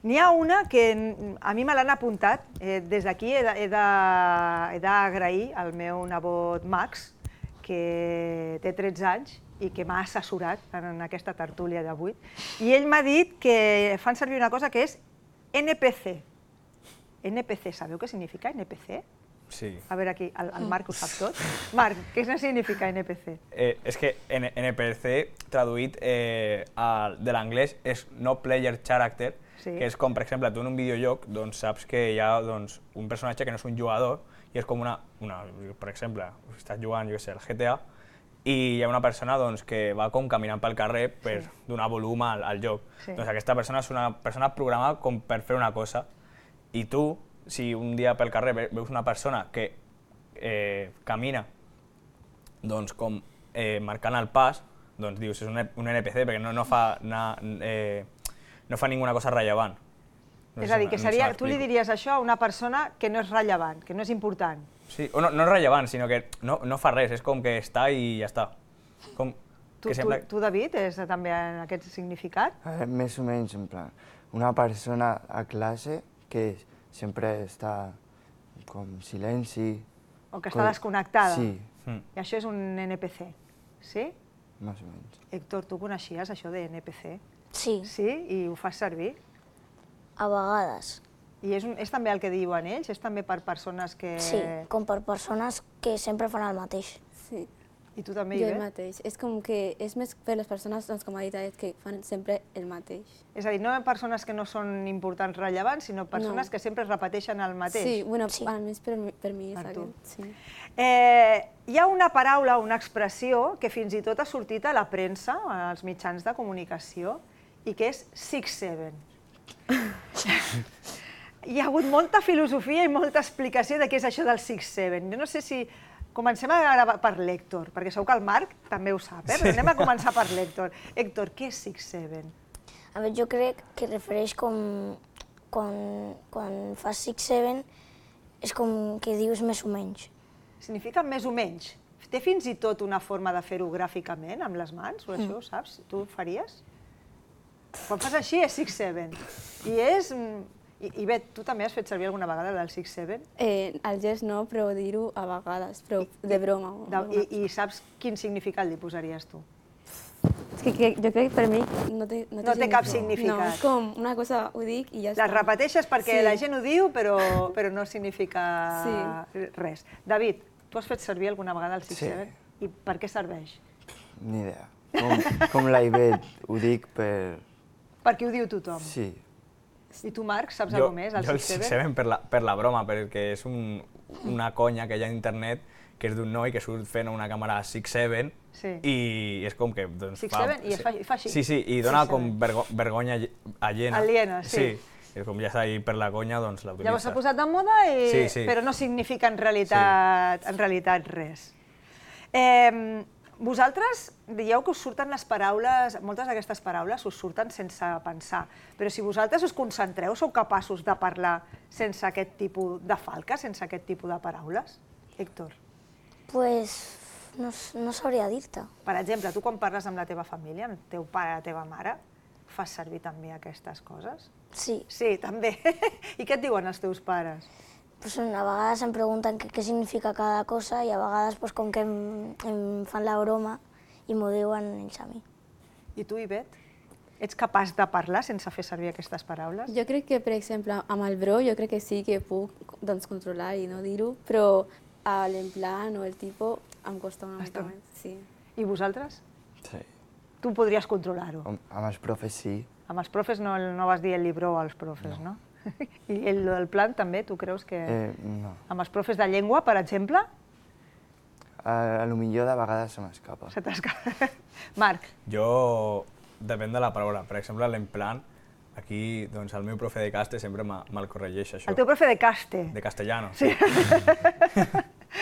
N'hi ha una que a mi me l'han apuntat. Des d'aquí he d'agrair al meu nebot Max, que té 13 anys i que m'ha assessorat en aquesta tertúlia d'avui. I ell m'ha dit que fan servir una cosa que és NPC. NPC, sabeu què significa NPC? Sí. A veure aquí, el Marc ho sap tot. Marc, què significa NPC? És que NPC, traduït de l'anglès, és No Player Character, que és com, per exemple, tu en un videojoc saps que hi ha un personatge que no és un jugador i és com per exemple, estàs jugant, jo què sé, el GTA, i hi ha una persona que va com caminant pel carrer per donar volum al joc. Doncs aquesta persona és una persona programada com per fer una cosa, i tu, si un dia pel carrer veus una persona que camina com marcant el pas, doncs dius, és un NPC perquè no fa ninguna cosa rellevant. És a dir, que tu li diries això a una persona que no és rellevant, que no és important. Sí, o no és rellevant, sinó que no fa res, és com que està i ja està. Tu, David, és també en aquest significat? Més o menys, en plan, una persona a classe que sempre està com silenci. O que està desconnectada. Sí. I això és un NPC, sí? Més o menys. Héctor, tu coneixies això de NPC? Sí. Sí? I ho fas servir? A vegades. I és també el que diuen ells? És també per persones que... Sí, com per persones que sempre fan el mateix. Sí. I tu també, Jo Ivet? el mateix. És com que és més per les persones, com ha dit Aed, que fan sempre el mateix. És a dir, no persones que no són importants, rellevants, sinó persones que sempre repeteixen el mateix. Sí, bueno, almenys per mi és aquest. Sí. Hi ha una paraula, una expressió, que fins i tot ha sortit a la premsa, als mitjans de comunicació, i que és 6-7. Hi ha hagut molta filosofia i molta explicació de què és això del 6-7. Jo no sé si... Comencem ara per l'Héctor, perquè segur que el Marc també ho sap, però anem a començar per l'Héctor. Héctor, què és 6-7? A veure, jo crec que refereix com... Quan fas 6-7 és com que dius més o menys. Significa més o menys. Té fins i tot una forma de fer-ho gràficament, amb les mans, o això, saps? Tu ho faries? Quan fas així és 6-7. I és... I bé, tu també has fet servir alguna vegada el 6-7? El gest no, però dir-ho a vegades, però de broma. I saps quin significat li posaries tu? És que jo crec que per mi no té cap significat. No, és com una cosa, ho dic i ja està. Les repeteixes perquè la gent ho diu, però no significa res. David, tu has fet servir alguna vegada el 6-7? I per què serveix? Ni idea. Com la Ivet, ho dic per... Perquè ho diu tothom? Sí. I tu, Marc, saps alguna més, el 6-7? Jo el 6-7 per la broma, perquè és un una conya que hi ha a internet que és d'un noi que surt fent una càmera 6-7 i és com que... 6-7 i fa així. Sí, i dona com vergonya aliena. Aliena, sí. És com ja està ahí per la conya, doncs l'utilitza. Llavors s'ha posat de moda, però no significa en realitat res. Vosaltres dieu que us surten les paraules, moltes d'aquestes paraules us surten sense pensar, però si vosaltres us concentreu, sou capaços de parlar sense aquest tipus de falca, sense aquest tipus de paraules? Héctor? Pues no sabria dir-te. Per exemple, tu quan parles amb la teva família, amb el teu pare, la teva mare, fas servir també aquestes coses? Sí. Sí, també. I què et diuen els teus pares? Pues a vegades em pregunten què significa cada cosa i a vegades pues, com que em fan la broma i m'ho diuen ells a mi. I tu, Ivet? Ets capaç de parlar sense fer servir aquestes paraules? Jo crec que, per exemple, amb el bro, jo crec que sí que puc controlar i no dir-ho, però l'emplant o el tipus em costa una mica més. Sí. I vosaltres? Sí. Tu podries controlar-ho? Amb els profes sí. Amb els profes no vas dir el libró als profes, no? I el plan també, tu creus que... No. Amb els profes de llengua, per exemple? Potser de vegades se m'escapa. Se t'escapa. Marc? Jo, depèn de la paraula. Per exemple, l'emplant, aquí doncs, el meu profe de caste sempre me'l corregeix, això. El teu profe de caste? De castellano. Sí.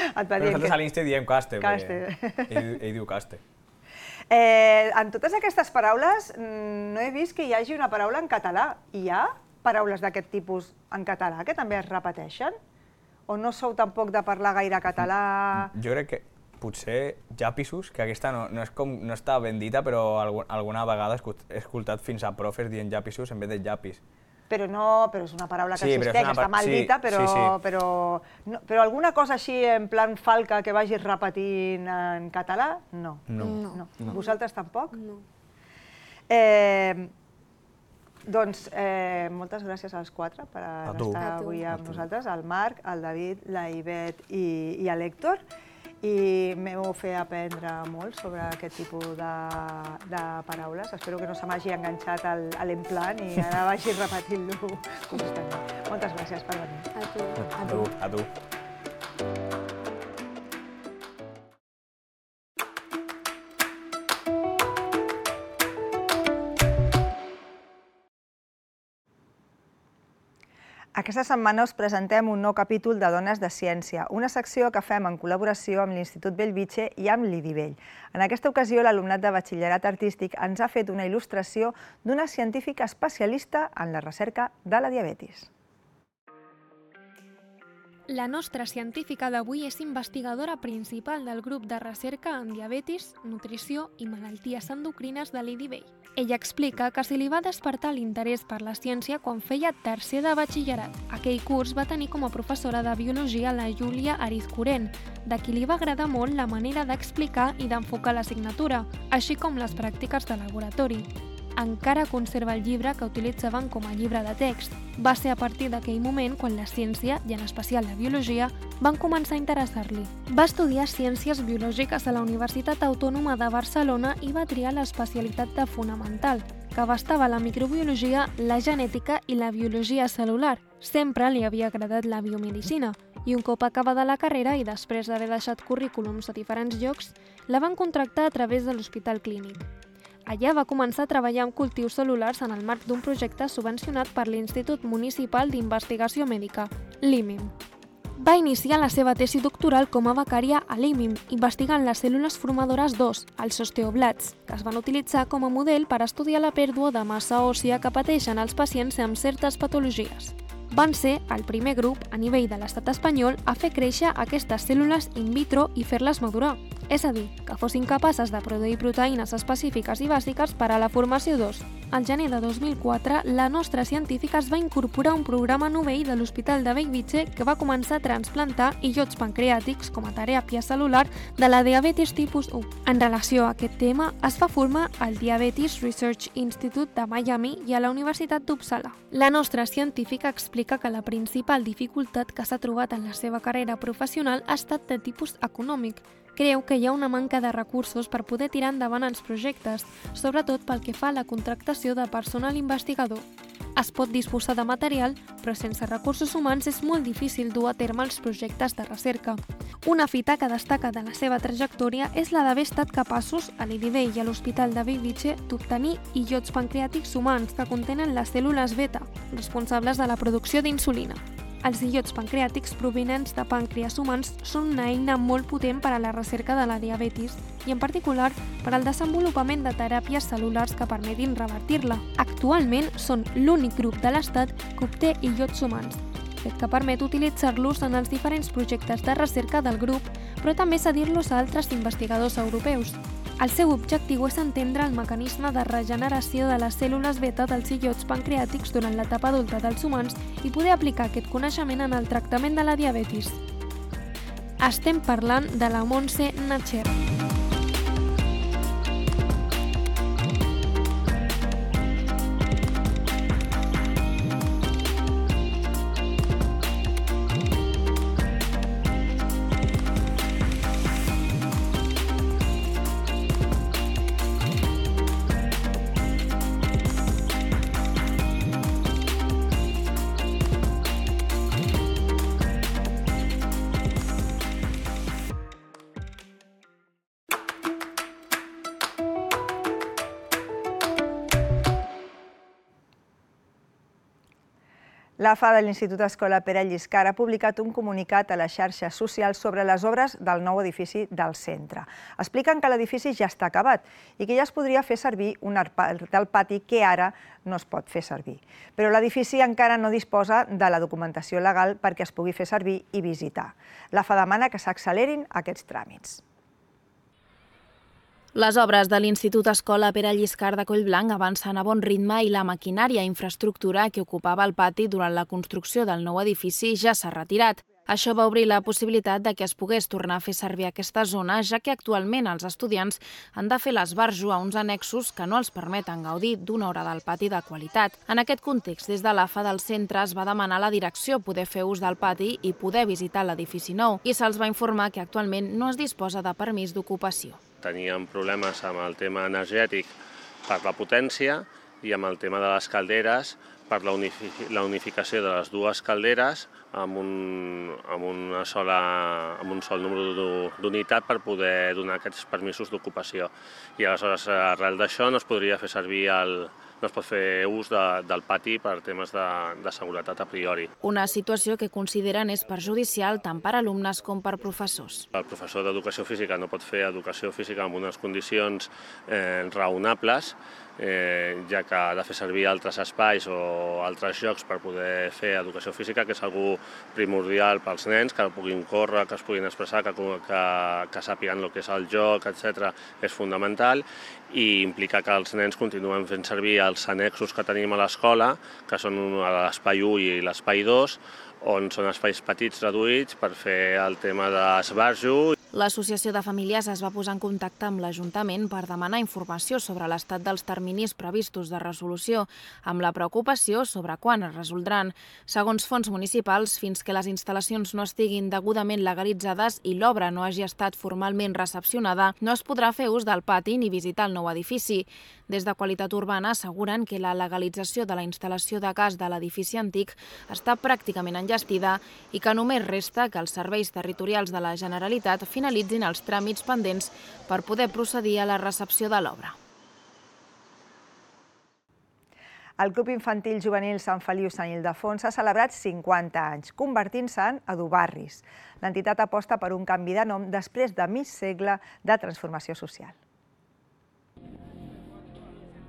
Però nosaltres a l'Insta diem caste, perquè ell diu caste. En totes aquestes paraules no he vist que hi hagi una paraula en català. Hi ha paraules d'aquest tipus en català que també es repeteixen? O no sou tampoc de parlar gaire català? Jo crec que potser llapisos, que aquesta no està ben dita, però alguna vegada he escoltat fins a profes dient llapisos en vez de llapis. Però és una paraula que existeix, està mal dita, però alguna cosa així en plan falca que vagis repetint en català, no. No. Vosaltres tampoc? No. Doncs moltes gràcies als quatre per estar avui amb nosaltres, al Marc, al David, la Ivet i l'Héctor. I m'heu fet aprendre molt sobre aquest tipus de paraules. Espero que no se m'hagi enganxat a l'emplant i ara vagi repetint-lo constantment. Moltes gràcies per venir. A tu. Aquesta setmana us presentem un nou capítol de Dones de Ciència, una secció que fem en col·laboració amb l'Institut Bellvitge i amb l'IDIVELL. En aquesta ocasió, l'alumnat de batxillerat artístic ens ha fet una il·lustració d'una científica especialista en la recerca de la diabetis. La nostra científica d'avui és investigadora principal del grup de recerca en diabetis, nutrició i malalties endocrines de l'IDIVELL. Ella explica que se li va despertar l'interès per la ciència quan feia tercer de batxillerat. Aquell curs va tenir com a professora de biologia la Júlia Arizcuren, de qui li va agradar molt la manera d'explicar i d'enfocar l'assignatura, així com les pràctiques de laboratori. Encara conserva el llibre que utilitzaven com a llibre de text. Va ser a partir d'aquell moment quan la ciència, i en especial la biologia, van començar a interessar-li. Va estudiar Ciències Biològiques a la Universitat Autònoma de Barcelona i va triar l'especialitat de Fonamental, que abastava la microbiologia, la genètica i la biologia cel·lular. Sempre li havia agradat la biomedicina, i un cop acabada la carrera i després d'haver deixat currículums a diferents llocs, la van contractar a través de l'Hospital Clínic. Allà va començar a treballar amb cultius cel·lulars en el marc d'un projecte subvencionat per l'Institut Municipal d'Investigació Mèdica, l'IMIM. Va iniciar la seva tesi doctoral com a becària a l'IMIM, investigant les cèl·lules formadores d'os, els osteoblasts, que es van utilitzar com a model per estudiar la pèrdua de massa òssia que pateixen els pacients amb certes patologies. Van ser el primer grup a nivell de l'estat espanyol a fer créixer aquestes cèl·lules in vitro i fer-les madurar, és a dir, que fossin capaces de produir proteïnes específiques i bàsiques per a la formació d'os. Al gener de 2004, la nostra científica es va incorporar a un programa novell de l'Hospital de Bellvitge que va començar a transplantar illots pancreàtics com a teràpia cel·lular de la diabetis tipus 1. En relació a aquest tema, es va formar al Diabetes Research Institute de Miami i a la Universitat d'Uppsala. La nostra científica explica que la principal dificultat que s'ha trobat en la seva carrera professional ha estat de tipus econòmic. Creu que hi ha una manca de recursos per poder tirar endavant els projectes, sobretot pel que fa a la contractació de personal investigador. Es pot disposar de material, però sense recursos humans és molt difícil dur a terme els projectes de recerca. Una fita que destaca de la seva trajectòria és la d'haver estat capaços, a l'IDB i a l'Hospital de Bellvitge, d'obtenir illots pancreàtics humans que contenen les cèl·lules beta, responsables de la producció d'insulina. Els illots pancreàtics provinents de pàncreas humans són una eina molt potent per a la recerca de la diabetis i, en particular, per al desenvolupament de teràpies cel·lulars que permetin revertir-la. Actualment són l'únic grup de l'Estat que obté illots humans, fet que permet utilitzar-los en els diferents projectes de recerca del grup, però també cedir-los a altres investigadors europeus. El seu objectiu és entendre el mecanisme de regeneració de les cèl·lules beta dels illots pancreàtics durant l'etapa adulta dels humans i poder aplicar aquest coneixement en el tractament de la diabetis. Estem parlant de la Montse Nacher. L'AFA de l'Institut Escola Pere Lliscar ha publicat un comunicat a les xarxes socials sobre les obres del nou edifici del centre. Expliquen que l'edifici ja està acabat i que ja es podria fer servir una part del pati que ara no es pot fer servir. Però l'edifici encara no disposa de la documentació legal perquè es pugui fer servir i visitar. L'AFA demana que s'accelerin aquests tràmits. Les obres de l'Institut Escola Pere Lliscar de Collblanc avancen a bon ritme i la maquinària i infraestructura que ocupava el pati durant la construcció del nou edifici ja s'ha retirat. Això va obrir la possibilitat de que es pogués tornar a fer servir aquesta zona, ja que actualment els estudiants han de fer l'esbarjo a uns annexos que no els permeten gaudir d'una hora del pati de qualitat. En aquest context, des de l'AFA del centre es va demanar a la direcció poder fer ús del pati i poder visitar l'edifici nou, i se'ls va informar que actualment no es disposa de permís d'ocupació. Teníem problemes amb el tema energètic per la potència i amb el tema de les calderes per la unificació de les dues calderes amb un sol número d'unitat per poder donar aquests permisos d'ocupació. I aleshores, arrel d'això, no es podria fer servir no es pot fer ús del pati per temes de seguretat a priori. Una situació que consideren és perjudicial tant per alumnes com per professors. El professor d'educació física no pot fer educació física en unes condicions raonables, ja que ha de fer servir altres espais o altres llocs per poder fer educació física, que és algo primordial pels nens, que puguin córrer, que es puguin expressar, que sàpiguen el que és el joc, etc. És fonamental, i implica que els nens continuen fent servir els annexos que tenim a l'escola, que són l'espai 1 i l'espai 2, on són espais petits reduïts per fer el tema d'esbarjo. L'Associació de Famílies es va posar en contacte amb l'Ajuntament per demanar informació sobre l'estat dels terminis previstos de resolució, amb la preocupació sobre quan es resoldran. Segons fons municipals, fins que les instal·lacions no estiguin degudament legalitzades i l'obra no hagi estat formalment recepcionada, no es podrà fer ús del pati ni visitar el nou edifici. Des de Qualitat Urbana asseguren que la legalització de la instal·lació de gas de l'edifici antic està pràcticament enllestida i que només resta que els serveis territorials de la Generalitat finalitzin els tràmits pendents per poder procedir a la recepció de l'obra. El Club Infantil Juvenil Sant Feliu Sant Ildefons ha celebrat 50 anys, convertint-se en Edubarris. L'entitat aposta per un canvi de nom després de mig segle de transformació social.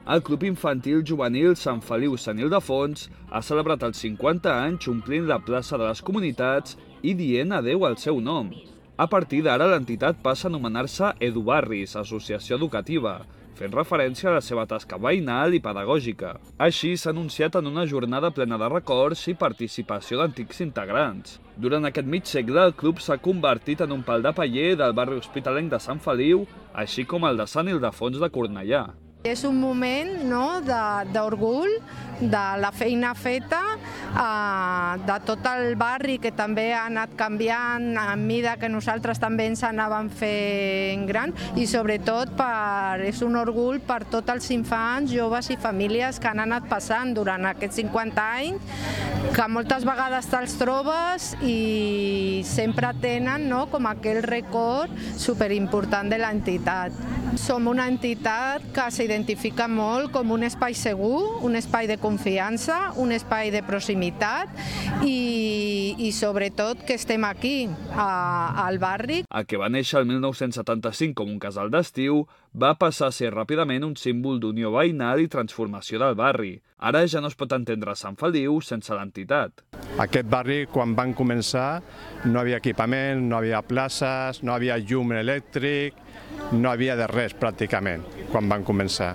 El Club Infantil Juvenil Sant Feliu Sant Ildefons ha celebrat els 50 anys omplint la plaça de les comunitats i dient adeu al seu nom. A partir d'ara, l'entitat passa a anomenar-se Edubarris, Associació Educativa, fent referència a la seva tasca veïnal i pedagògica. Així s'ha anunciat en una jornada plena de records i participació d'antics integrants. Durant aquest mig segle, el club s'ha convertit en un pal de paller del barri hospitalenc de Sant Feliu, així com el de Sant Ildefons de Cornellà. És un moment d'orgull de la feina feta, de tot el barri que també ha anat canviant a mida que nosaltres també ens anàvem fent gran i sobretot és un orgull per tots els infants, joves i famílies que han anat passant durant aquests 50 anys, que moltes vegades te'ls trobes i sempre tenen com aquell record superimportant de l'entitat. Som una entitat que s'identifica molt com un espai segur, un espai de confiança, un espai de proximitat i sobretot que estem aquí, al barri. El que va néixer el 1975 com un casal d'estiu va passar a ser ràpidament un símbol d'unió veïnal i transformació del barri. Ara ja no es pot entendre Sant Feliu sense l'entitat. Aquest barri, quan van començar, no havia equipament, no havia places, no havia llum elèctric, no havia de res pràcticament quan van començar.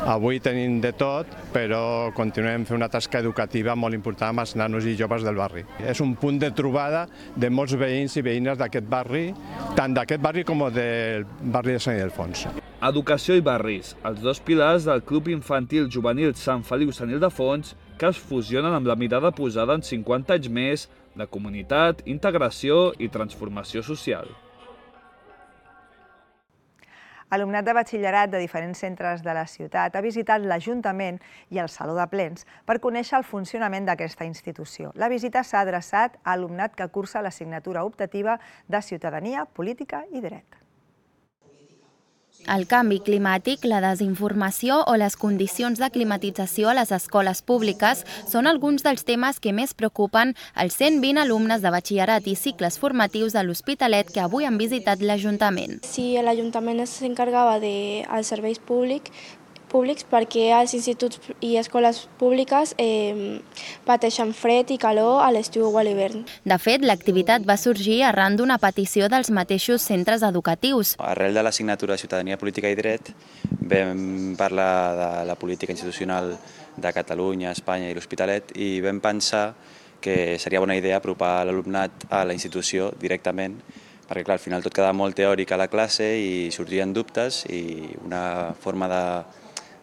Avui tenim de tot, però continuem fent una tasca educativa molt important amb els nanos i joves del barri. És un punt de trobada de molts veïns i veïnes d'aquest barri, tant d'aquest barri com del barri de Sant Ildefons. Educació i barris, els dos pilars del Club Infantil Juvenil Sant Feliu Sant Ildefons, que es fusionen amb la mirada posada en 50 anys més de comunitat, integració i transformació social. Alumnat de batxillerat de diferents centres de la ciutat ha visitat l'Ajuntament i el Saló de Plens per conèixer el funcionament d'aquesta institució. La visita s'ha adreçat a alumnat que cursa l'assignatura optativa de Ciutadania, Política i Dret. El canvi climàtic, la desinformació o les condicions de climatització a les escoles públiques són alguns dels temes que més preocupen els 120 alumnes de batxillerat i cicles formatius de l'Hospitalet que avui han visitat l'Ajuntament. Si l'Ajuntament s'encarregava dels serveis públics perquè els instituts i escoles públiques pateixen fred i calor a l'estiu o a l'hivern. De fet, l'activitat va sorgir arran d'una petició dels mateixos centres educatius. Arrel de l'assignatura de Ciutadania, Política i Dret vam parlar de la política institucional de Catalunya, Espanya i l'Hospitalet i vam pensar que seria bona idea apropar l'alumnat a la institució directament perquè clar, al final tot quedava molt teòric a la classe i sorgien dubtes i una forma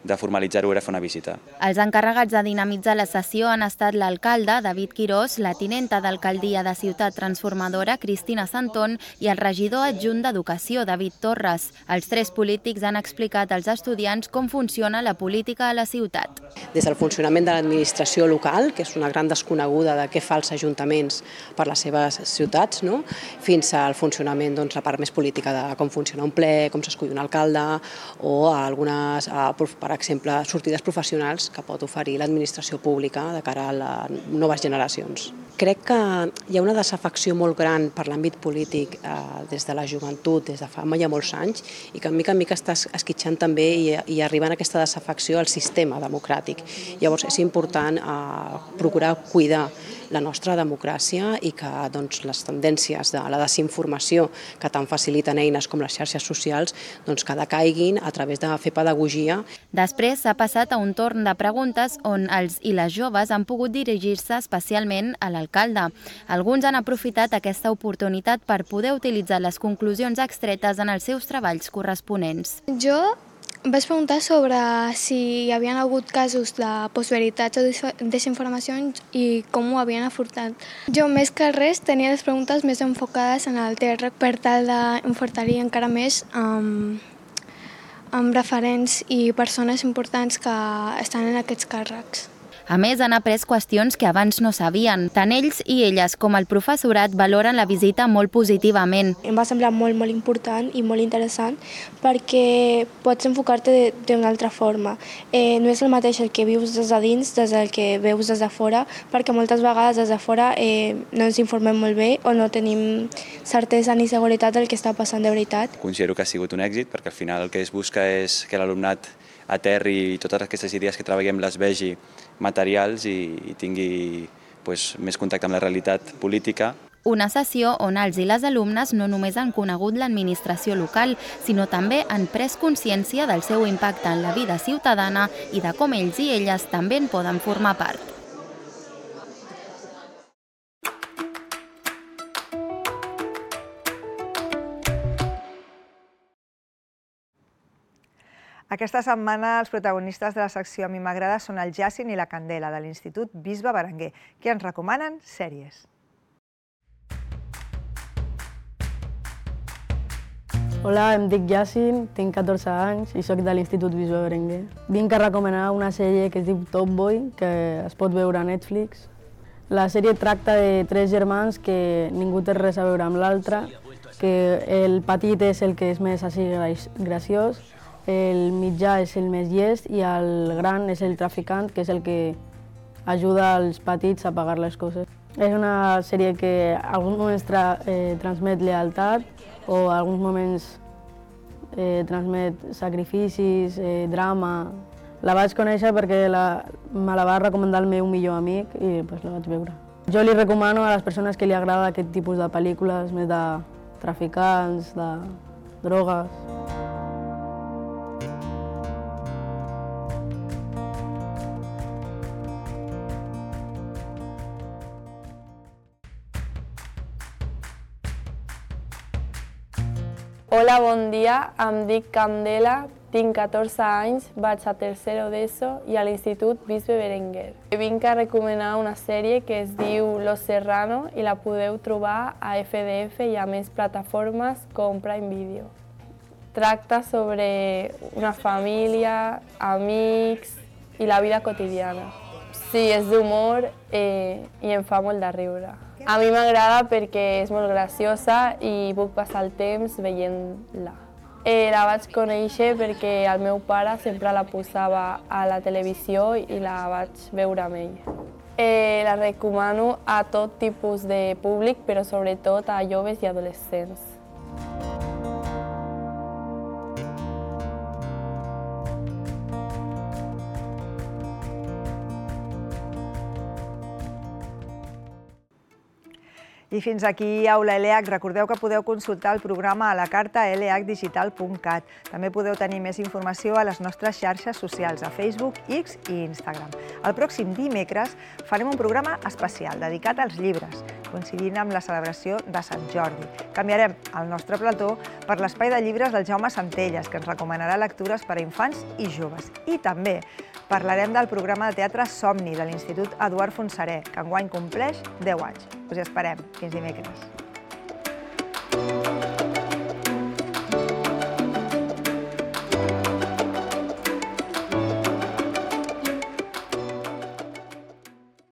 de formalitzar-ho era fer una visita. Els encarregats de dinamitzar la sessió han estat l'alcalde, David Quirós, la tinenta d'alcaldia de Ciutat Transformadora, Cristina Santón, i el regidor adjunt d'Educació, David Torres. Els tres polítics han explicat als estudiants com funciona la política a la ciutat. Des del funcionament de l'administració local, que és una gran desconeguda de què fa els ajuntaments per les seves ciutats, fins al funcionament, la part més política de com funciona un ple, com s'escull un alcalde o algunes, per exemple, sortides professionals que pot oferir l'administració pública de cara a les noves generacions. Crec que hi ha una desafecció molt gran per l'àmbit polític des de la joventut, des de fa ja molts anys, i que mica en mica està esquitxant també i arribant a aquesta desafecció al sistema democràtic. Llavors és important procurar cuidar la nostra democràcia i que les tendències de la desinformació que tant faciliten eines com les xarxes socials que decaiguin a través de fer pedagogia. Després s'ha passat a un torn de preguntes on els i les joves han pogut dirigir-se especialment a l'alcalde. Alguns han aprofitat aquesta oportunitat per poder utilitzar les conclusions extretes en els seus treballs corresponents. Jo vaig preguntar sobre si hi havia hagut casos de postveritats o desinformacions i com ho havien afrontat. Jo, més que res, tenia les preguntes més enfocades en el TR per tal d'enfortir encara més amb referents i persones importants que estan en aquests càrrecs. A més, han après qüestions que abans no sabien. Tant ells i elles com el professorat valoren la visita molt positivament. Em va semblar molt important i molt interessant perquè pots enfocar-te d'una altra forma. No és el mateix el que vius des de dins des del que veus des de fora, perquè moltes vegades des de fora no ens informem molt bé o no tenim certesa ni seguretat del que està passant de veritat. Considero que ha sigut un èxit perquè al final el que es busca és que l'alumnat aterri i totes aquestes idees que treballem les vegi materials i tingui més contacte amb la realitat política. Una sessió on els i les alumnes no només han conegut l'administració local, sinó també han pres consciència del seu impacte en la vida ciutadana i de com ells i elles també en poden formar part. Aquesta setmana els protagonistes de la secció A mi m'agrada són el Jacint i la Candela, de l'Institut Bisbe Berenguer, que ens recomanen sèries. Hola, em dic Jacint, tinc 14 anys i soc de l'Institut Bisbe Berenguer. Vinc a recomanar una sèrie que es diu Top Boy, que es pot veure a Netflix. La sèrie tracta de 3 germans que ningú té res a veure amb l'altre, que el petit és el que és més així graciós, el mitjà és el més llest i el gran és el traficant, que és el que ajuda els petits a pagar les coses. És una sèrie que a alguns moments transmet lealtat o a alguns moments transmet sacrificis, drama. La vaig conèixer perquè me la va recomanar el meu millor amic i la vaig veure. Jo li recomano a les persones que li agrada aquest tipus de pel·lícules, més de traficants, de drogues. Hola, bon dia. Em dic Candela, tinc 14 anys, vaig a tercero d'ESO i a l'Institut Bisbe Berenguer. Vinc a recomanar una sèrie que es diu Los Serrano i la podeu trobar a FDF i a més plataformes com Prime Video. Tracta sobre una família, amics i la vida quotidiana. Sí, és d'humor i em fa molt de riure. A mi m'agrada perquè és molt graciosa i puc passar el temps veient-la. La vaig conèixer perquè el meu pare sempre la posava a la televisió i la vaig veure amb ell. La recomano a tot tipus de públic, però sobretot a joves i adolescents. I fins aquí Aula LH. Recordeu que podeu consultar el programa a la carta lhdigital.cat. També podeu tenir més informació a les nostres xarxes socials, a Facebook, X i Instagram. El pròxim dimecres farem un programa especial dedicat als llibres, coincidint amb la celebració de Sant Jordi. Canviarem el nostre plató per l'espai de llibres del Jaume Centelles, que ens recomanarà lectures per a infants i joves. I també parlarem del programa de teatre Somni de l'Institut Eduard Fontserè, que enguany compleix 10 anys. Us hi esperem. Fins dimecres.